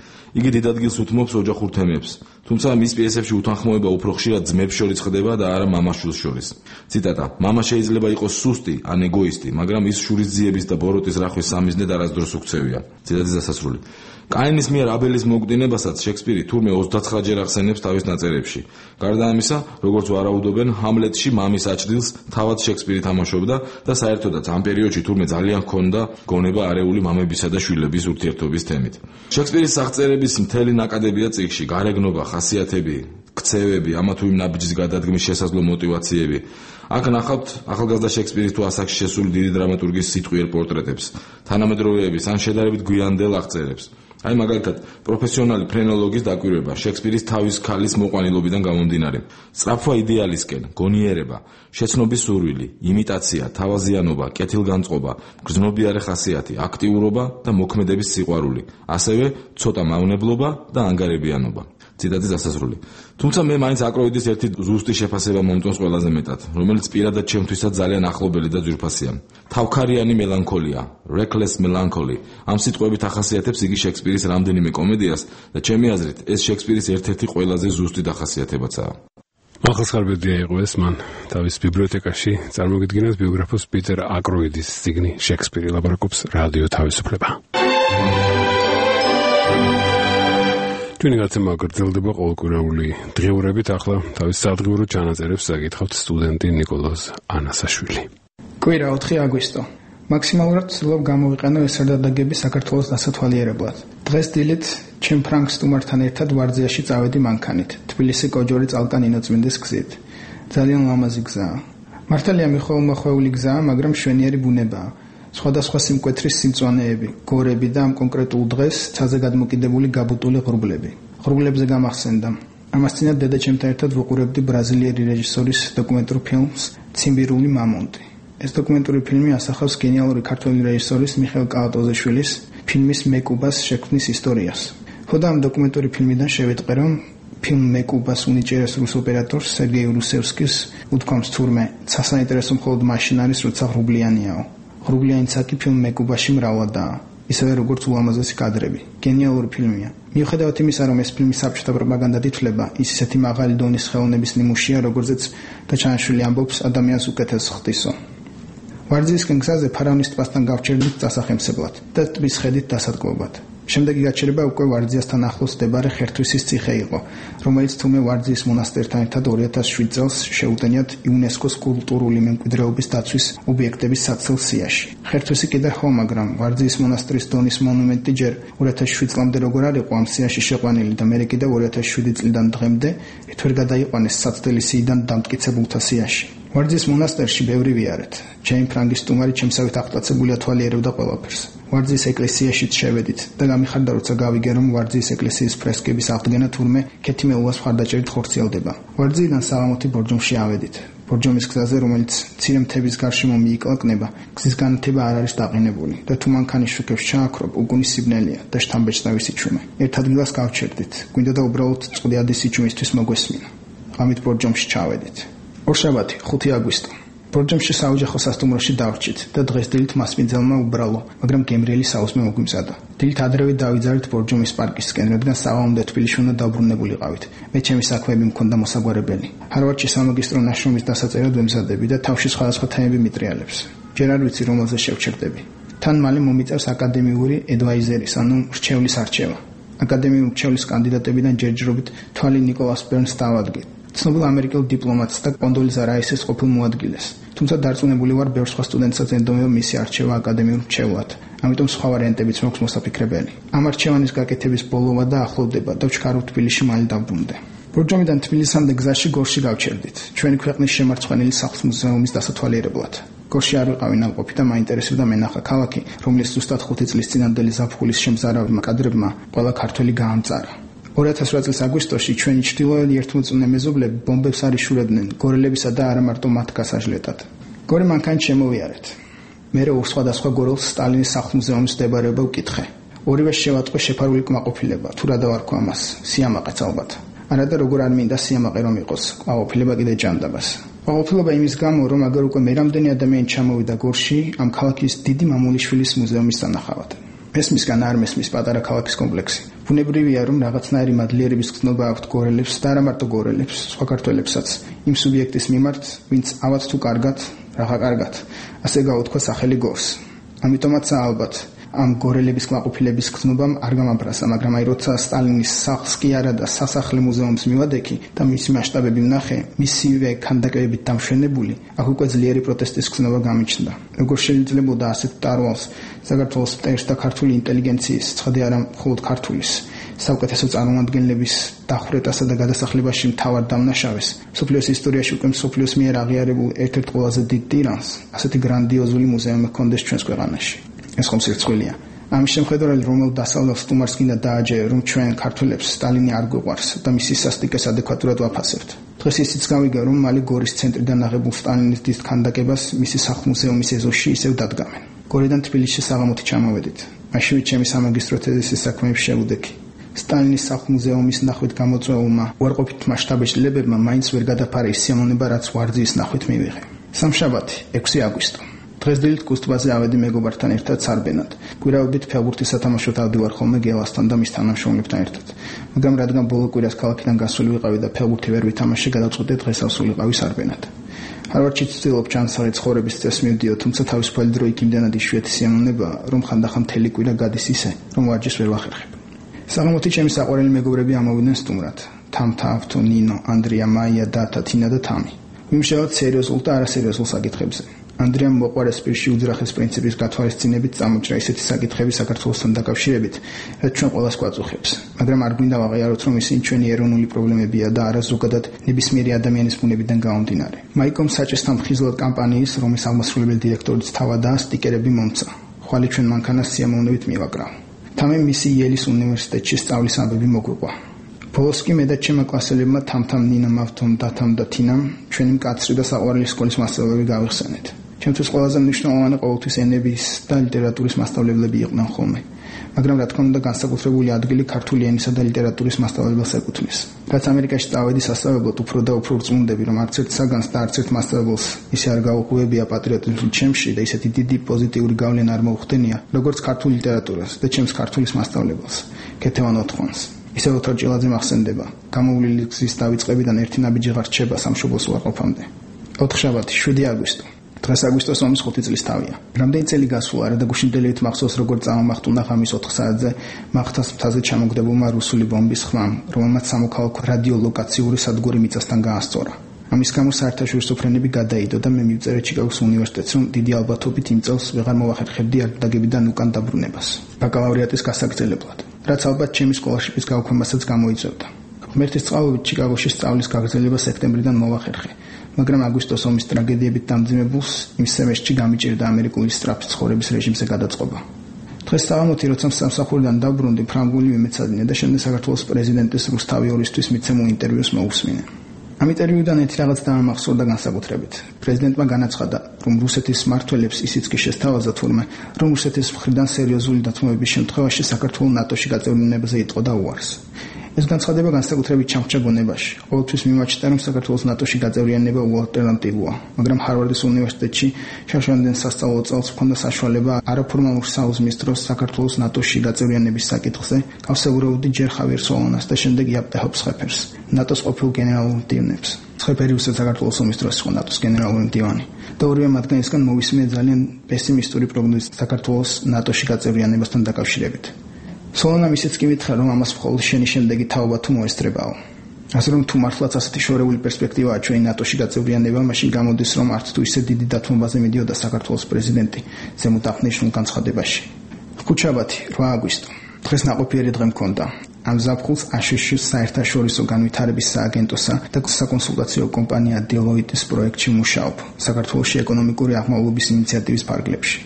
იგი დიდ ადგილს უთმობს ოჯახურ თემებს, თუმცა მის პიესებში უთანხმოება უფრო ხშირად ძმებს შორის ხდება და არა მამა-შვილს შორის. ციტატა მამა შეიძლება იყოს სუსტი ან ეგოისტი, მაგრამ ის შურისძიების და ბოროტის რახვის სამიზნედ არასდროს უქცევია. ციტატის დასასრული. კაინის მიერ აბელის მოგდინებასაც შექსპირი თურმე 29 ჯერ ახსენებს თავის ნაწერებში. გარდა ამისა, როგორც ვარაუდობენ, ჰამლეტში მამის აჩრდილს თავად შექსპირი თამაშობდა და საერთოდაც ამ პერიოდში თურმე ძალიან ჰქონდა გონება არეული მამებისა და შვილების ურთიერთობის თემით. შექსპირის აღწერების მთელი ნაკადებია წიგნში, გარეგნობა, ხასიათები, ქცევები, ამა თუ იმ ნაბიჯის გადადგმის შესაძლო мотиваციები. აქ ნახავთ ახალგაზრდა შექსპირის თუ ასაკში შესული დიდი დრამატურგის სიტყვიერ პორტრეტებს, თანამედროვეების ან შედარებით გვიანდელ აღწერებს. აი მაგალითად, პროფესიონალი ფრენოლოგის დაკვირვება შექსპირის თავის ქალის მოყვანილობიდან გამომდინარე. სწრაფვა იდეალისკენ, გონიერება, შეცნობის სურვილი, იმიტაცია, თავაზიანობა, კეთილგანწყობა, გრძნობიარე ხასიათი, აქტიურობა და მოქმედების სიყვარული, ასევე ცოტა მავნებლობა და ანგარებიანობა. ციტატის დასასრული. თუმცა მე მაინც აკროიდის ერთი ზუსტი შეფასება მომწონს ყველაზე მეტად, რომელიც პირადად ჩემთვისაც ძალიან ახლობელი და ძვირფასია. თავქარიანი მელანქოლია, reckless melancholy. ამ სიტყვებით ახასიათებს იგი შექსპირის რამდენიმე კომედიას და ჩემი აზრით ეს შექსპირის ერთ-ერთი ყველაზე ზუსტი დახასიათებაცაა. ახალსხარბედია იყო ეს მან თავის ბიბლიოთეკაში წარმოგიდგენას ბიოგრაფოს პიტერ აკროიდის წიგნი შექსპირი ლაპარაკობს რადიო თავისუფლება. ჩვენი გაცემა გრძელდება ყოველკვირეული დღეურებით, ახლა თავის სადღეურო ჩანაწერებს საკითხავთ სტუდენტი ნიკოლოზ ანასაშვილი. კვირა 4 აგვისტო. მაქსიმალურად ვცდილობ გამოვიყენო ეს სარდადაგები საქართველოს დასათვალიერებლად. დღეს დილით ჩემ ფრანკ სტუმართან ერთად ვარძიაში წავედი მანქანით, თბილისი კოჯორი წალკან ინოწმინდის გზით. ძალიან ლამაზი გზაა. მართალია მიხოუმახვეული გზაა, მაგრამ მშვენიერი ბუნებაა. სხვადასხვა სიმკვეთრის სიმწვანეები, გორები და ამ კონკრეტულ დღეს ცაზე გადმოკიდებული გაბუტული ღრუბლები. ღრუბლებზე გამახსენდა. ამას წინათ დედაჩემთან ერთად ვუყურებდი ბრაზილიელი რეჟისორის დოკუმენტურ ფილმს ციმბირული მამონტი. ეს დოკუმენტური ფილმი ასახავს გენიალური ქართველი რეჟისორის მიხეილ კალატოზეშვილის ფილმის მეკუბას შექმნის ისტორიას. ხოდა ამ დოკუმენტური ფილმიდან შევიტყე, რომ ფილმ მეკუბას უნიჭერეს რუს ოპერატორს სერგეი რუსევსკის უთქვამს თურმე სასაინტერესო მხოლოდ მაშინ არის, როცა ღრუბლიანიაო. ღრუბლიანიც კი ფილმ მეკუბაში მრავლადაა. ისევე როგორც ულამაზესი კადრები. გენიალური ფილმია. მიუხედავად იმისა, რომ ეს ფილმი საბჭოთა პროპაგანდად ითვლება, ის ისეთი მაღალი დონის ხელოვნების ნიმუშია, როგორზეც დაჩანიშვილი ამბობს, ადამიანს უკეთეს ხდისო. ვარძიისკენ გზაზე ფარავნის ტბასთან გავჩერდით დასახემსებლად და ტბის ხედით დასადგმობად. შემდეგი გაჩერება უკვე ვარძიასთან ახლოს მდებარე ხერთვისის ციხე იყო, რომელიც თუმე ვარძიის მონასტერთან ერთად 2007 წელს შეუტენიათ იუნესკოს კულტურული მემკვიდრეობის დაცვის ობიექტების საცდელ სიაში. ხერთვისი კიდე ხო, მაგრამ ვარძიის მონასტრის დონის მონუმენტი ჯერ 2007 წლამდე როგორ არ იყო ამ სიაში შეყვანილი და მერე კიდევ 2007 წლიდან დღემდე ერთვერ გადაიყვანეს საცდელი სიიდან დამტკიცებულთა სიაში. ვარძის მონასტერში ბევრი ვიარეთ. ჩემი ფრანგის სტუმარი ჩემსავით აღტაცებულია თვალიერებდა ყველაფერს. ვარძის ეკლესიაშიც შევედით და გამიხარდა, როცა გავიგე, რომ ვარძის ეკლესიის ფრესკების აღდგენა თურმე ქეთიმეულას მხარდაჭერით ხორციელდება. ვარძიიდან საღამოთი ბორჯომში ავედით. ბორჯომის გზაზე, რომელიც მცირე მთების გარშემო მიიკლაკნება, გზის განათება არ არის დაყენებული და თუ მანქანის შუქებს ჩააქრობ, უგუნის სიბნელია და შთამბეჭდავი სიჩუმე. ერთ ადგილას გავჩერდით. გვინდა და უბრალოდ წყვილადი სიჩუმისთვის მოგესმინა. ღამით ბორჯომში ჩავედით. ორშაბათი 5 აგვისტო. ბორჯომში საოჯახო სასტუმროში დავრჩით და დღეს დილით მასპინძელმა უბრალო, მაგრამ გემრიელი საუზმე მოგვიმზადა. დილით ადრევე დავიძარით ბორჯომის პარკისკენ, რადგან საღამომდე თბილისში უნდა დაბრუნებულიყავით. მე ჩემი საქმეები მქონდა მოსაგვარებელი. ჰარვარდში სამაგისტრო ნაშრომის დასაწერად ვემზადები და თავში სხვადასხვა თემები მიტრიალებს. ჯერ არ ვიცი რომელზე შევჩერდები. თან მალე მომიწევს აკადემიური ადვაიზერის, ანუ რჩევლის არჩევა. აკადემიური რჩევლის კანდიდატებიდან ჯერჯერობით თვალი ნიკოლას ბერნს დავადგეთ. ცნობილ ამერიკელ დიპლომატს და კონდოლიზა რაისის ყოფილ მოადგილეს. თუმცა დარწმუნებული ვარ, ბევრ სხვა სტუდენტსაც ენდომება მისი არჩევა აკადემიურ რჩევლად. ამიტომ სხვა ვარიანტებიც მაქვს მოსაფიქრებელი. ამ არჩევანის გაკეთების ბოლოვა და ახლოვდება და ვჩქარავ თბილისში მალე დავბრუნდე. ბორჯომიდან თბილისამდე გზაში გორში გავჩერდით. ჩვენი ქვეყნის შემარცხვენილი სახლს მუზეუმის დასათვალიერებლად. გორში არ ვიყავი ნაყოფი და მაინტერესებდა მენახა ქალაქი, რომლის ზუსტად 5 წლის წინანდელი ზაფხულის შემზარავმა კადრებმა ყველა ქართველი გაამწარა. 2008 წლის აგვისტოში ჩვენი ჩრდილოელი ერთმოწმუნე მეზობლები ბომბებს არ იშურებდნენ გორელებისა და არა მარტო მათ გასაჟლეტად. გორე მანქანით შემოვიარეთ. მერე ორ სხვადასხვა გორელს სტალინის სახლ-მუზეუმის მდებარეობა ვკითხე. ორივე შევატყვე შეფარული კმაყოფილება, თუ რა დავარქვა ამას, სიამაყეც ალბათ. არა და როგორ არ მინდა სიამაყე რომ იყოს, კმაყოფილება კიდე ჭანდაბას. კმაყოფილება იმის გამო, რომ აგერ უკვე მე რამდენი ადამიანი ჩამოვიდა გორში ამ ქალაქის დიდი მამულიშვილის მუზეუმის სანახავად. მესმისგან არ მესმის პატარა ქალაქის კომპლექსი. ბუნებრივია, რომ რაღაცნაირი მადლიერების გზნობა აქვთ გორელებს და არა მარტო გორელებს, სხვა ქართველებსაც, იმ სუბიექტის მიმართ, ვინც ავად თუ კარგად, რაღა კარგად, ასე გაუთქვა სახელი გორს. ამიტომაც ალბათ ამ გორელების კმაყოფილების გზნობამ არ გამაბრასა, მაგრამ აი როცა სტალინის სახლს კი არა და სასახლე მუზეუმს მივადექი და მისი მასშტაბები ვნახე, მისივე ქანდაკებებით დამშვენებული, აქ უკვე ძლიერი პროტესტის გზნობა გამიჩნდა. როგორ შეიძლებოდა ასეთ ტარვალს საქართველოს მტერს და ქართული ინტელიგენციის, ცხადია არა მხოლოდ ქართulis, საუკეთესო წარმომადგენლების დახვრეტასა და გადასახლებაში მთავარ დამნაშავეს, სოფლიოს ისტორიაში უკვე სოფლიოს მიერ აღიარებულ ერთ-ერთ ყველაზე დიდ ტირანს, ასეთი გრანდიოზული მუზეუმი ჰქონდეს ჩვენს ქვეყანაში. ეს ხომ სირცხვილია. ამის შემხედარებით, რომელ დასავლელ სტუმარს კიდე დააჯერა, რომ ჩვენ ქართველებს სტალინი არ გვიყვარს და მისი სასტიკეს ადეკვატურად ვაფასებთ. დღეს ისიც გავიგე, რომ მალე გორის ცენტრიდან აღებულ სტალინის დიდ ქანდაკებას მისი სახლ-მუზეუმის ეზოში ისევ დადგამენ. გორიდან თბილისში საღამოთი ჩამოვედით. მაშინვე ჩემი სამაგისტრო თეზისის საქმეები შევუდექი. სტალინის სახლ-მუზეუმის ნახვით გამოწვეულმა უარყოფით მასშტაბეჭდილებებმა მაინც ვერ გადაფარა ის სიამოვნება, რაც ვარძიის ნახვით მივიღე. სამშაბათი 6 აგვისტო. დღეს დილით კუსტბაზე ავედი მეგობართან ერთად სარბენად. გვირავდით ფეხბურთის სათამაშოდ ავდივარ ხოლმე გელასთან და მის თანამშრომლებთან ერთად. მაგრამ რადგან ბოლო კვირას ქალაქიდან გასული ვიყავი და ფეხბურთი ვერ ვითამაშე, გადავწყვიტე დღეს ავსულიყავი სარბენად. ჰარვარდში ცდილობ ჩანსახი ცხოვრების წესს მივდიო, თუმცა თავისუფალი დრო იქ იმდენად იშვიათი სიამოვნებაა, რომ ხანდახან მთელი კვირა გადის ისე, რომ ვარჯიშს ვერ ვახერხებ. საღამოთი ჩემი საყვარელი მეგობრები ამოვიდნენ სტუმრად. თამთა, ავთო, ნინო, ანდრია, მაია, დათა, თინა და თამი. ვიმუშაობთ სერიოზულ და არასერიოზულ საკითხებზე. ანდრიამ მოყვარეს პირში უძრახის პრინციპის გათვალისწინებით წამოჭრა ისეთი საკითხები საქართველოსთან დაკავშირებით, რაც ჩვენ ყველას გვაწუხებს. მაგრამ არ გვინდა ვაღიაროთ, რომ ისინი ჩვენი ეროვნული პრობლემებია და არა ზოგადად ნებისმიერი ადამიანის ბუნებიდან გამომდინარე. მაიკომ საჭესთან მხიზლად კამპანიის, რომლის აღმასრულებელი დირექტორიც თავადაა, სტიკერები მომცა. ხვალე ჩვენ მანქანას სიამოვნებით მივაკრავ. თამე მისი იელის უნივერსიტეტში სწავლის ამბები მოგვიყვა. ბოლოს კი მე და ჩემმა კლასელებმა თამთამ ნინამ ავთომ დათამ და თინამ ჩვენი მკაცრი და საყვარელი სკოლის მასწავლებლები გავიხსენეთ. ჩემთვის ყველაზე მნიშვნელოვანი ყოველთვის ენების და ლიტერატურის მასწავლებლები იყვნენ ხოლმე. მაგრამ რა თქმა უნდა განსაკუთრებული ადგილი ქართული ენისა და ლიტერატურის მასწავლებელს ეკუთვნის. რაც ამერიკაში წავედი სასწავლებლად უფრო და უფრო ვრწმუნდები, რომ არც ერთ საგანს და არც ერთ მასწავლებელს ისე არ გაუღვევია პატრიოტიზმის ჩემში და ისეთი დიდი პოზიტიური გავლენა არ მოუხდენია, როგორც ქართული ლიტერატურას და ჩემს ქართულის მასწავლებელს, ქეთევან ოთხონს. ისე ოთარ ჭილაძე მახსენდება, გამოვლილი გზის დავიწყებიდან ერთი ნაბიჯი ღარ რჩება სამშობლოს უარყოფამდე. 4 შაბათი 7 აგვისტო. დღეს აგვისტოს ომის 5 წლის თავია. რამდენი წელი გასულა არა და გუშინდელით მახსოვს როგორც წამახტუნა ღამის 4 საათზე მახთას მთაზე ჩამოგდებულმა რუსული ბომბის ხმამ, რომელმაც სამოქალაქო რადიოლოკაციური სადგური მიწასთან გაასწორა. ამის გამო საერთაშორისო ფრენები გადაიდო და მე მივწერე ჩიკაგოს უნივერსიტეტს, რომ დიდი ალბათობით იმ წელს ვეღარ მოვახერხებდი არდაგებიდან უკან დაბრუნებას ბაკალავრიატის გასაგრძელებლად, რაც ალბათ ჩემი სკოლაშიპის გაუქმებასაც გამოიწვევდა. ღმერთის წყალობით ჩიკაგოში სწავლის გაგრძელება სექტემბრიდან მოვახერხე, მაგრამ აგვისტოს ომის ტრაგედიებით დამძიმებულს იმ სემესტრში გამიჭირდა ამერიკული სწრაფი ცხოვრების რეჟიმზე გადაწყობა. დღეს საღამოთი როცა სამსახურიდან დაბრუნდი, ფრანგული მიმეცადინე და შემდეგ საქართველოს პრეზიდენტის რუსთავი ორისთვის მიცემულ ინტერვიუს მოусმინე. ამ ინტერვიუდან ერთი რაღაც დამახსოვრდა განსაკუთრებით. პრეზიდენტმა განაცხადა, რომ რუსეთის მმართველებს ისიც კი შესთავაზა თურმე, რომ რუსეთის მხრიდან სერიოზული დათმობების შემთხვევაში საქართველოს ნატოში გაწევრიანებაზე იტყოდა უარს. ეს განცხადება განსაკუთრებით ჩამრჩა გონებაში. ყოველთვის მიმაჩნდა, რომ საქართველოს ნატოში გაწევრიანება უალტერნატივოა, მაგრამ ჰარვარდის უნივერსიტეტში შაშანდენ სასწავლო წელს ჰქონდა საშუალება არაფორმალურ საუზმის დროს საქართველოს ნატოში გაწევრიანების საკითხზე გავსაუბრებოდი ჯერ ხავიერ სოლონას და შემდეგ იაპტეჰოფ სხეფერს, ნატოს ყოფილ გენერალურ მდივნებს. სხეფერი უცებ საქართველოს ომის დროს იყო ნატოს გენერალური მდივანი და ორივე მათგანისგან მოვისმინე ძალიან პესიმისტური პროგნოზი საქართველოს ნატოში გაწევრიანებასთან დაკავშირებით. სოლონამ ისიც კი მითხრა, რომ ამას მხოლოდ შენი შემდეგი თაობა თუ მოესწრებაო. ასე რომ თუ მართლაც ასეთი შორეული პერსპექტივაა ჩვენი ნატოში გაწევრიანება, მაშინ გამოდის, რომ არც თუ ისე დიდი დათმობაზე მიდიოდა საქართველოს პრეზიდენტი ზემოთ აღნიშნულ განცხადებაში. ხუთშაბათი 8 აგვისტო. დღეს ნაყოფიერი დღე მქონდა. ამ ზაფხულს აშშ-ის საერთაშორისო განვითარების სააგენტოსა და საკონსულტაციო კომპანია Deloitte-ის პროექტში მუშაობ საქართველოში ეკონომიკური აღმავლობის ინიციატივის ფარგლებში.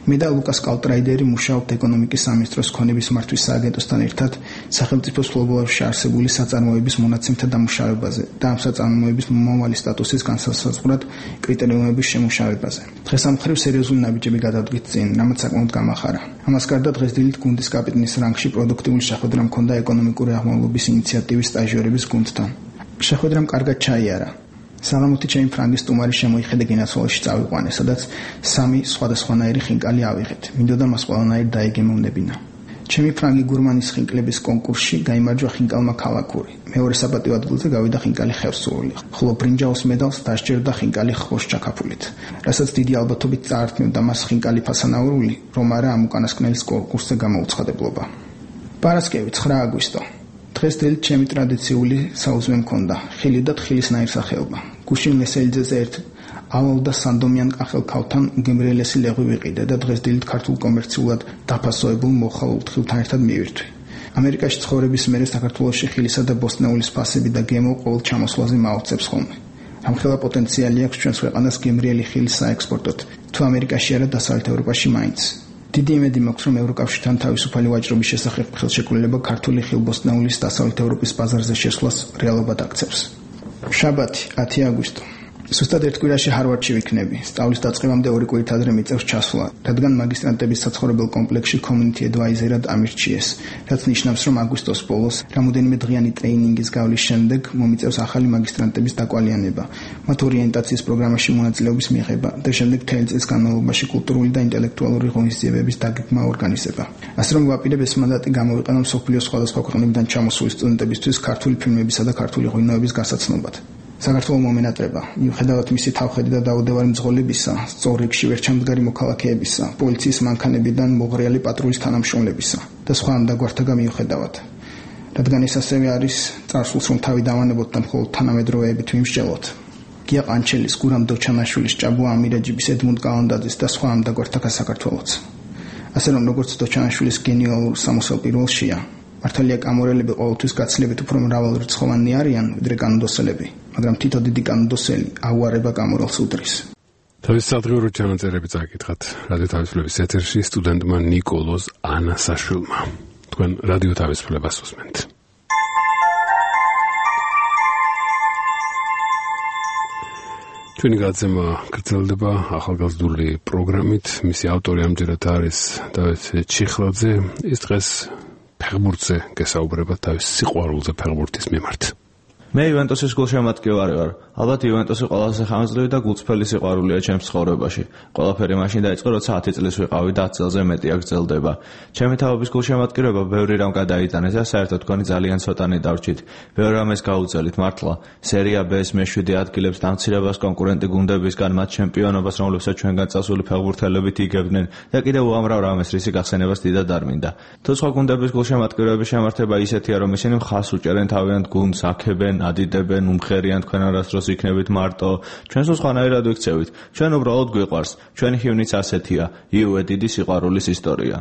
მე და ლუკას კალტრაიდერი მუშაობთ ეკონომიკის სამინისტროს ქონების მართვის სააგენტოსთან ერთად სახელმწიფო სლობოებში არსებული საწარმოების მონაცემთა დამუშავებაზე და ამ საწარმოების მომავალი სტატუსის განსაზღვრად კრიტერიუმების შემუშავებაზე. დღეს ამ მხრივ სერიოზული ნაბიჯები გადავდგით წინ, რამაც საკმაოდ გამახარა. ამას გარდა დღეს დილით გუნდის კაპიტნის რანგში პროდუქტიული შეხვედრა მქონდა ეკონომიკური აღმავლობის ინიციატივის სტაჟიორების გუნდთან. შეხვედრამ კარგად ჩაიარა. საღამოთი ჩემი ფრანგის სტუმარი შემოიხედა გინასოლში წავიყვანე, სადაც 3 სხვადასხვანაირი ხინკალი ავიღეთ. მინდოდა მას ყველანაირ დაეგემოვნებინა. ჩემი ფრანგი გურმანის ხინკლების კონკურსში გაიმარჯვა ხინკალმა ქალაქური. მეორე საპატიო ადგილზე გავიდა ხინკალი ხევსურული, ხოლო ბრინჯაოს მედალს დასჯერდა ხინკალი ხოშ ჩაკაფულით, რასაც დიდი ალბათობით წაართმევდა მას ხინკალი ფასანაურული, რომ არა ამ უკანასკნელის კონკურსზე გამოუცხადებლობა. პარასკევი 9 აგვისტო. დღეს დილით ჩემი ტრადიციული საუზმე მქონდა, ხილი და თხილის ნაირსახეობა. გუშინ მესელიძეზე ერთ ავალ და სანდომიან კახელქავთან უგემრიელესი ლეღვი ვიყიდე და დღეს დილით ქართულ კომერციულად დაფასოებულ მოხალულ თხილთან ერთად მივირთვი. ამერიკაში ცხოვრების მერე საქართველოში ხილისა და ბოსტნეულის ფასები და გემო ყოველ ჩამოსვლაზე მაუწყებს ხოლმე. ამხელა პოტენციალი აქვს ჩვენს ქვეყანას გემრიელი ხილის საექსპორტოდ, თუ ამერიკაში არა დასავლეთ ევროპაში მაინც. დიდი იმედი მაქვს, რომ ევროკავშირთან თავისუფალი ვაჭრობის შესახებ ხელშეკრულება ქართული ხილბოსტნეულის დასავლეთ ევროპის ბაზარზე შესვლას რეალობად აქცევს. შაბათი 10 აგვისტო. ზუსტად ერთ კვირაში ჰარვარდში ვიქნები. სწავლის დაწყებამდე 2 კვირით ადრე მიწევს ჩასვლა, რადგან მაგისტრანტების საცხოვრებელ კომპლექსში community advisor-ად ამირჩიეს, რაც ნიშნავს, რომ აგვისტოს ბოლოს რამოდენიმე დღიანი ტრეინინგის გავლის შემდეგ მომიწევს ახალი მაგისტრანტების დაკვალიანება, მათ ორიენტაციის პროგრამაში მონაწილეობის მიღება და შემდეგ მთელი წლის განმავლობაში კულტურული და ინტელექტუალური ღონისძიებების დაგეგმა ორგანიზება. ასე რომ ვაპირებ ეს მანდატი გამოვიყენო მსოფლიოს სხვადასხვა ქვეყნებიდან ჩამოსული სტუდენტებისთვის ქართული ფილმებისა და ქართული ღვინოების გასაცნობად. საქართველოს მომენატრება, მიუხედავად მისი თავხედი და დაუდევარი მძღოლებისა, სწორ რიგში ვერ ჩამდგარი მოქალაქეებისა, პოლიციის მანქანებიდან მოღრიალი პატრულის თანამშრომლებისა და სხვა ამდაგვართა მიუხედავად. რადგან ეს ასევე არის წარსულს, რომ თავი დავანებოთ და მხოლოდ თანამედროვეებით ვიმსჯელოთ. გია ყანჩელის, გურამ დოჩანაშვილის, ჭაბუა ამირაჯიბის, ედმუნდ კალანდაძის და სხვა ამდაგვართა საქართველოს. ასე რომ როგორც დოჩანაშვილის გენიალურ სამოსელ პირველშია, მართალია კამორელები ყოველთვის გაცილებით უფრო მრავალრიცხოვანი არიან, ვიდრე კანონდოსელები, მაგრამ თითო დიდი კანონდოსელი აუარება კამორელს უდრის. თავის სადღეურო ჩანაწერები წაკითხათ რადიო თავისუფლების ეთერში სტუდენტმა ნიკოლოზ ანასაშვილმა. თქვენ რადიო თავისუფლებას უსმენთ. ჩვენი გაცემა გრძელდება ახალგაზრდული პროგრამით. მისი ავტორი ამჯერად არის დავით ჩიხლაძე. ის დღეს ფეხბურთზე გესაუბრება, თავის სიყვარულზე ფეხბურთის მიმართ. მე იუვენტუსის გულშემატკივარი ვარ. ალბათ იუვენტუსი ყველაზე ხანგრძლივი და გულწრფელი სიყვარულია ჩემს ცხოვრებაში. ყველაფერი მაშინ დაიწყო, როცა 10 წლის ვიყავი და 10 წელზე მეტია გრძელდება. ჩემი თავობის გულშემატკივრება ბევრი რამ გადაიტანეს და საერთოდ თქვენი ძალიან ცოტანი დარჩით. ბევრ რამეს გაუძელით მართლა. სერია B-ს მე-7 ადგილებს დამცირებას კონკურენტი გუნდებისგან მათ ჩემპიონობას, რომლებსაც ჩვენგან წასული ფეხბურთელებით იგებდნენ და კიდევ უამრავ რამეს, რისი გახსენებას დიდად არ მინდა. თუ სხვა გუნდების გულშემატკივრების შემართება ისეთია, რომ ისინი მხას უჭერენ თავიანთ გუნდს, აქებენ, ადიდებენ, უმხერიან თქვენ არასდროს იქნებით მარტო, ჩვენს სხვანაირად ვიქცევით. ჩვენ უბრალოდ გვიყვარს. ჩვენი ხივნიც ასეთია. იუვე დიდი სიყვარულის ისტორია.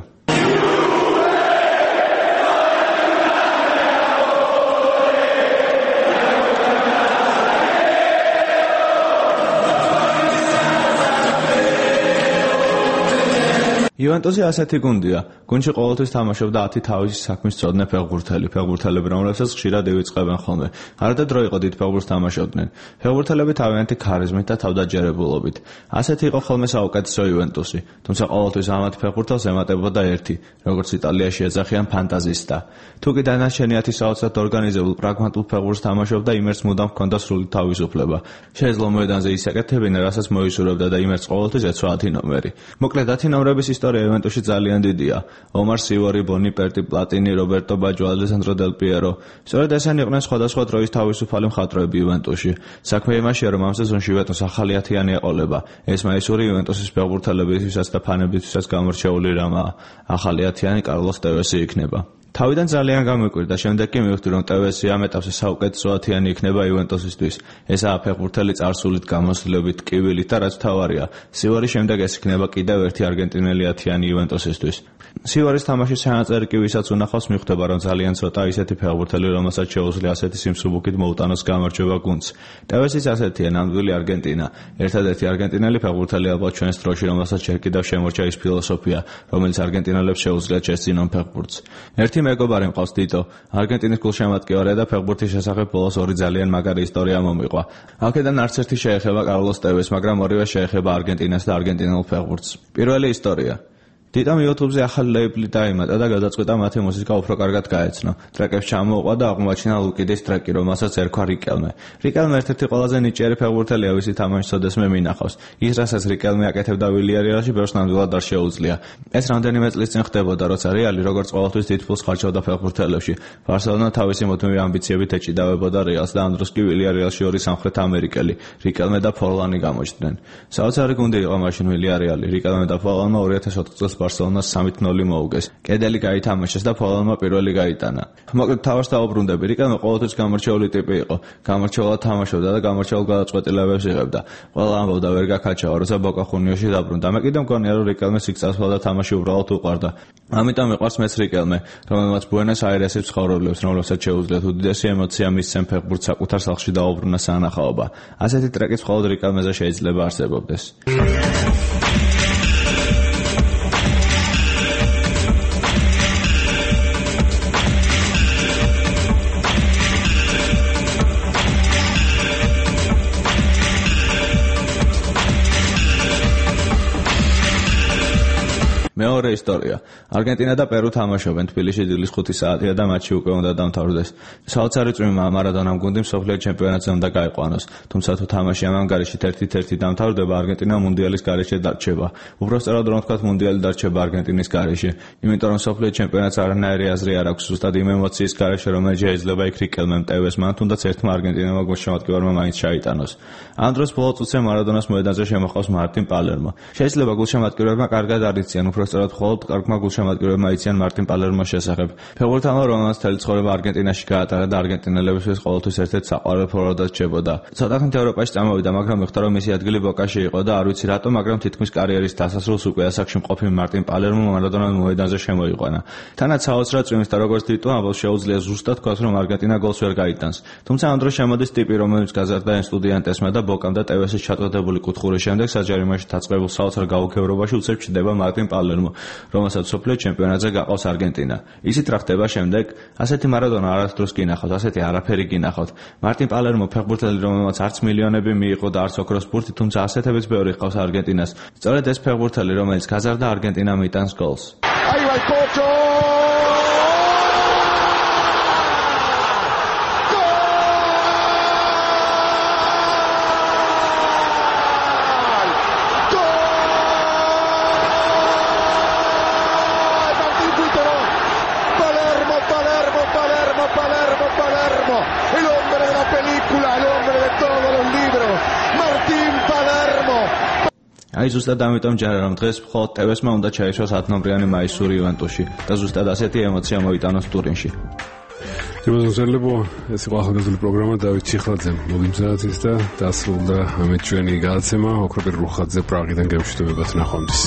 იუვენტუსი ასეთი გუნდია. გუნდში ყოველთვის თამაშობდა 10 თავისი საქმის მცოდნე ფეხბურთელები, რომლებსაც ხშირად ივიწყებენ ხოლმე. არადა დრო იყო დიდ ფეხბურთს თამაშობდნენ. ფეხბურთელები თავიანთი ქარიზმით და თავდაჯერებულობით. ასეთი იყო ხოლმე საუკეთესო იუვენტუსი. თუმცა ყოველთვის ამათ ფეხბურთელს ემატებოდა ერთი, როგორც იტალიაში ეძახიან ფანტაზისტა. თუ კი დანარჩენი საოცრად ორგანიზებულ პრაგმატულ ფეხბურთს თამაშობდა, იმერს მუდამ ჰქონდა სრული თავისუფლება. შეეძლო მოედანზე ის აკეთებინა, რასაც მოისურვებდა და იმერს ყოველთვის ეცვა 10 ნომერი. მოკლედ 10 ნომრების ისტორია იუვენტუსში ძალიან დიდია. ომარ სივორი, ბონი პერტი, პლატინი, რობერტო ბაჯო, ალესანდრო დელ პიერო. სწორედ ესენი იყვნენ სხვადასხვა დროის თავისუფალი მხატვრები იუვენტუსში. საქმე იმაშია, რომ ამ სეზონში იუვენტუს ახალი 10-იანი ეყოლება. ეს მაისური იუვენტუსის ფეხბურთელებისთვისაც და ფანებისთვისაც გამორჩეული რამაა. ახალი 10-იანი კარლოს ტევესი იქნება. თავიდან ძალიან გამიკვირდა, შემდეგ კი მივხვდი, რომ ტევესი ამ ეტაპზე საუკეთესო 10-იანი იქნება იუვენტუსისთვის. ესაა ფეხბურთელი წარსულით, გამოსვლებით, ტკივილით და რაც თავარია, სივარის შემდეგ ეს იქნება კიდევ ერთი არგენტინელი 10-იანი იუვენტუსისთვის. სივარის თამაშის ჩანაწერი კი ვისაც უნახავს, მიხვდება, რომ ძალიან ცოტა ისეთი ფეხბურთელი, რომელსაც შეუძლია ასეთი სიმსუბუქით მოუტანოს გამარჯვება გუნდს. ტევესიც ასეთია, ნამდვილი არგენტინა. ერთადერთი არგენტინელი ფეხბურთელი ალბათ ჩვენს დროში, რომელსაც ჯერ კიდევ შემორჩა ის ფილოსოფია, რომელიც არგენტინელებს შეუძლიათ შეესწინონ ფეხბურთს. ერთი მეგობარი მყავს ტიტო, არგენტინის გულშემატკივარია და ფეხბურთის შესახებ ბოლოს ორი ძალიან მაგარი ისტორია მომიყვა. აქედან არც ერთი შეეხება კარლოს ტევეს, მაგრამ ორივე შეეხება არგენტინას და არგენტინულ ფეხბურთს. პირველი ისტორია. ტიტომ YouTube-ზე ახალი ლეიბლი დაიმატა და გადაწყვიტა მათი მუსიკა უფრო კარგად გაეცნო. ტრეკებს ჩამოუყვა და აღმოაჩინა ლუკიდის ტრეკი, რომელსაც ერქვა რიკელმე. რიკელმე ერთ-ერთი ყველაზე ნიჭიერი ფეხბურთელია, ვისი თამაშს ოდესმე მინახავს. ის, რასაც რიკელმე აკეთებდა ვილიარეალში, ბევრს ნამდვილად არ შეუძლია. ეს რამდენიმე წლის წინ ხდებოდა, როცა რეალი როგორც ყოველთვის დიდ ფულს ხარჯავდა ფეხბურთელებში. ბარსელონა თავისი მუდმივი ამბიციებით ეჭიდავებოდა რეალს და ამ დროს კი ვილიარეალში ორი სამხრეთ ამერიკელი, რიკელმე და ფორლანი გამოჩნდნენ. საოცარი გუნდი იყო მაშინ ვილიარეალი. რიკელმე და ფორლანმა 2004 წელს ბარსელონას 3-0 მოუგეს. კედელი გაითამაშეს და ფოლანმა პირველი გაიტანა. მოკლედ თავს დაუბრუნდები, რიკელმე ყოველთვის გამორჩეული ტიპი იყო. გამორჩეულად თამაშობდა და გამორჩეულ გადაწყვეტილებებს იღებდა. ყველა ამბობდა ვერ გაქაჩავა, როცა ბოკა ხუნიოში დაბრუნდა. მე კიდევ მგონია, რომ რიკელმეს იქ წასვლა და თამაში უბრალოდ უყვარდა. ამიტომ მიყვარს მეც რიკელმე, რომელმაც ბუენოს-აირესის ცხოვრობლებს, რომლებსაც შეუძლიათ უდიდესი ემოცია მისცენ ფეხბურთს საკუთარ სახლში დაუბრუნა სანახაობა. ასეთი ტრეკიც მხოლოდ რიკელმეზე შეიძლება არსებობდეს. მეორე ისტორია. არგენტინა და პერუ თამაშობენ თბილისში დილის 5 საათია და მატჩი უკვე უნდა დამთავრდეს. საოცარი წვიმა მარადონამ გუნდი მსოფლიო ჩემპიონატზე უნდა გაიყვანოს. თუმცა თუ თამაში ამ ანგარიშით 1-1 დამთავრდება, არგენტინა მუნდიალის გარეშე დარჩება. უბრალოდ რომ ვთქვათ, მუნდიალი დარჩება არგენტინის გარეშე. იმიტომ რომ მსოფლიო ჩემპიონატს არანაირი აზრი არ აქვს, ზუსტად იმ ემოციის გარეშე, რომელიც შეიძლება იქ რიკელმემ, ტევესმა, თუნდაც ერთმა არგენტინელმა გულშემატკივარმა მაინც ჩაიტანოს. ამ დროს ბოლო წუთზე მარადონას მოედანზე შემოხავს მარტინ პალერმო. შეიძლება გულშემატკივარმა კარგად არ იციან, უფრო სწორად მხოლოდ კარგმა გულშემატკივრებმა იციან მარტინ პალერმოს შესახებ. ფეხბურთელმა, რომელმაც მთელი ცხოვრება არგენტინაში გაატარა და არგენტინელებისთვის ყოველთვის ერთ-ერთ საყვარელ ფორვარდად რჩებოდა. ცოტა ხნით ევროპაში წამოვიდა, მაგრამ მიხვდა, რომ მისი ადგილი ბოკაში იყო და არ ვიცი რატომ, მაგრამ თითქმის კარიერის დასასრულს უკვე ასაკში მყოფი მარტინ პალერმო მარადონას მოედანზე შემოიყვანა. თანაც საოცრად წვიმს და როგორც ტიტო ამბობს, შეუძლია ზუსტად თქვას, რომ არგენტინა გოლს ვერ გაიტანს. თუმცა ამ დროს შემოდის ტიპი, რომელიც გაზარდა ესტუდიანტესმა და ბოკამ და ტევესის ჩატარებული კუთხურის შემდეგ საჯარიმოში დაწყებულ საოცარ გაუგებრობაში უცებ ჩდება მარტინ პალერმო. რომელსაც მსოფლიო ჩემპიონატზე გაყავს არგენტინა. ისიც რა ხდება შემდეგ? ასეთი მარადონა არასდროს გინახავთ, ასეთი არაფერი გინახავთ. მარტინ პალერმო ფეხბურთელი, რომელმაც არც მილიონები მიიღო და არც ოქროს ბურთი, თუმცა ასეთებიც ბევრი ყავს არგენტინას. სწორედ ეს ფეხბურთელი, რომელიც გაზარდა არგენტინამ იტანს გოლს. Ahí va el Cocho. Palermo, el hombre de la película, el hombre de todos los libros, Martín Palermo. აი ზუსტად ამიტომ ჯერა რომ დღეს მხოლოდ TV-სმა უნდა ჩაისვას 10 ნომრიანი მაისური ივენტოში და ზუსტად ასეთი ემოცია მოიტანოს ტურინში. შემოგვიძლებო ეს იყო ახალგაზრდული პროგრამა დავით ჩიხლაძემ მოგიმზადეთ და დასრულდა ამეთ ჩვენი გადაცემა ოქროპირ რუხაძე პრაღიდან გემშვიდობებად ნახვამდის.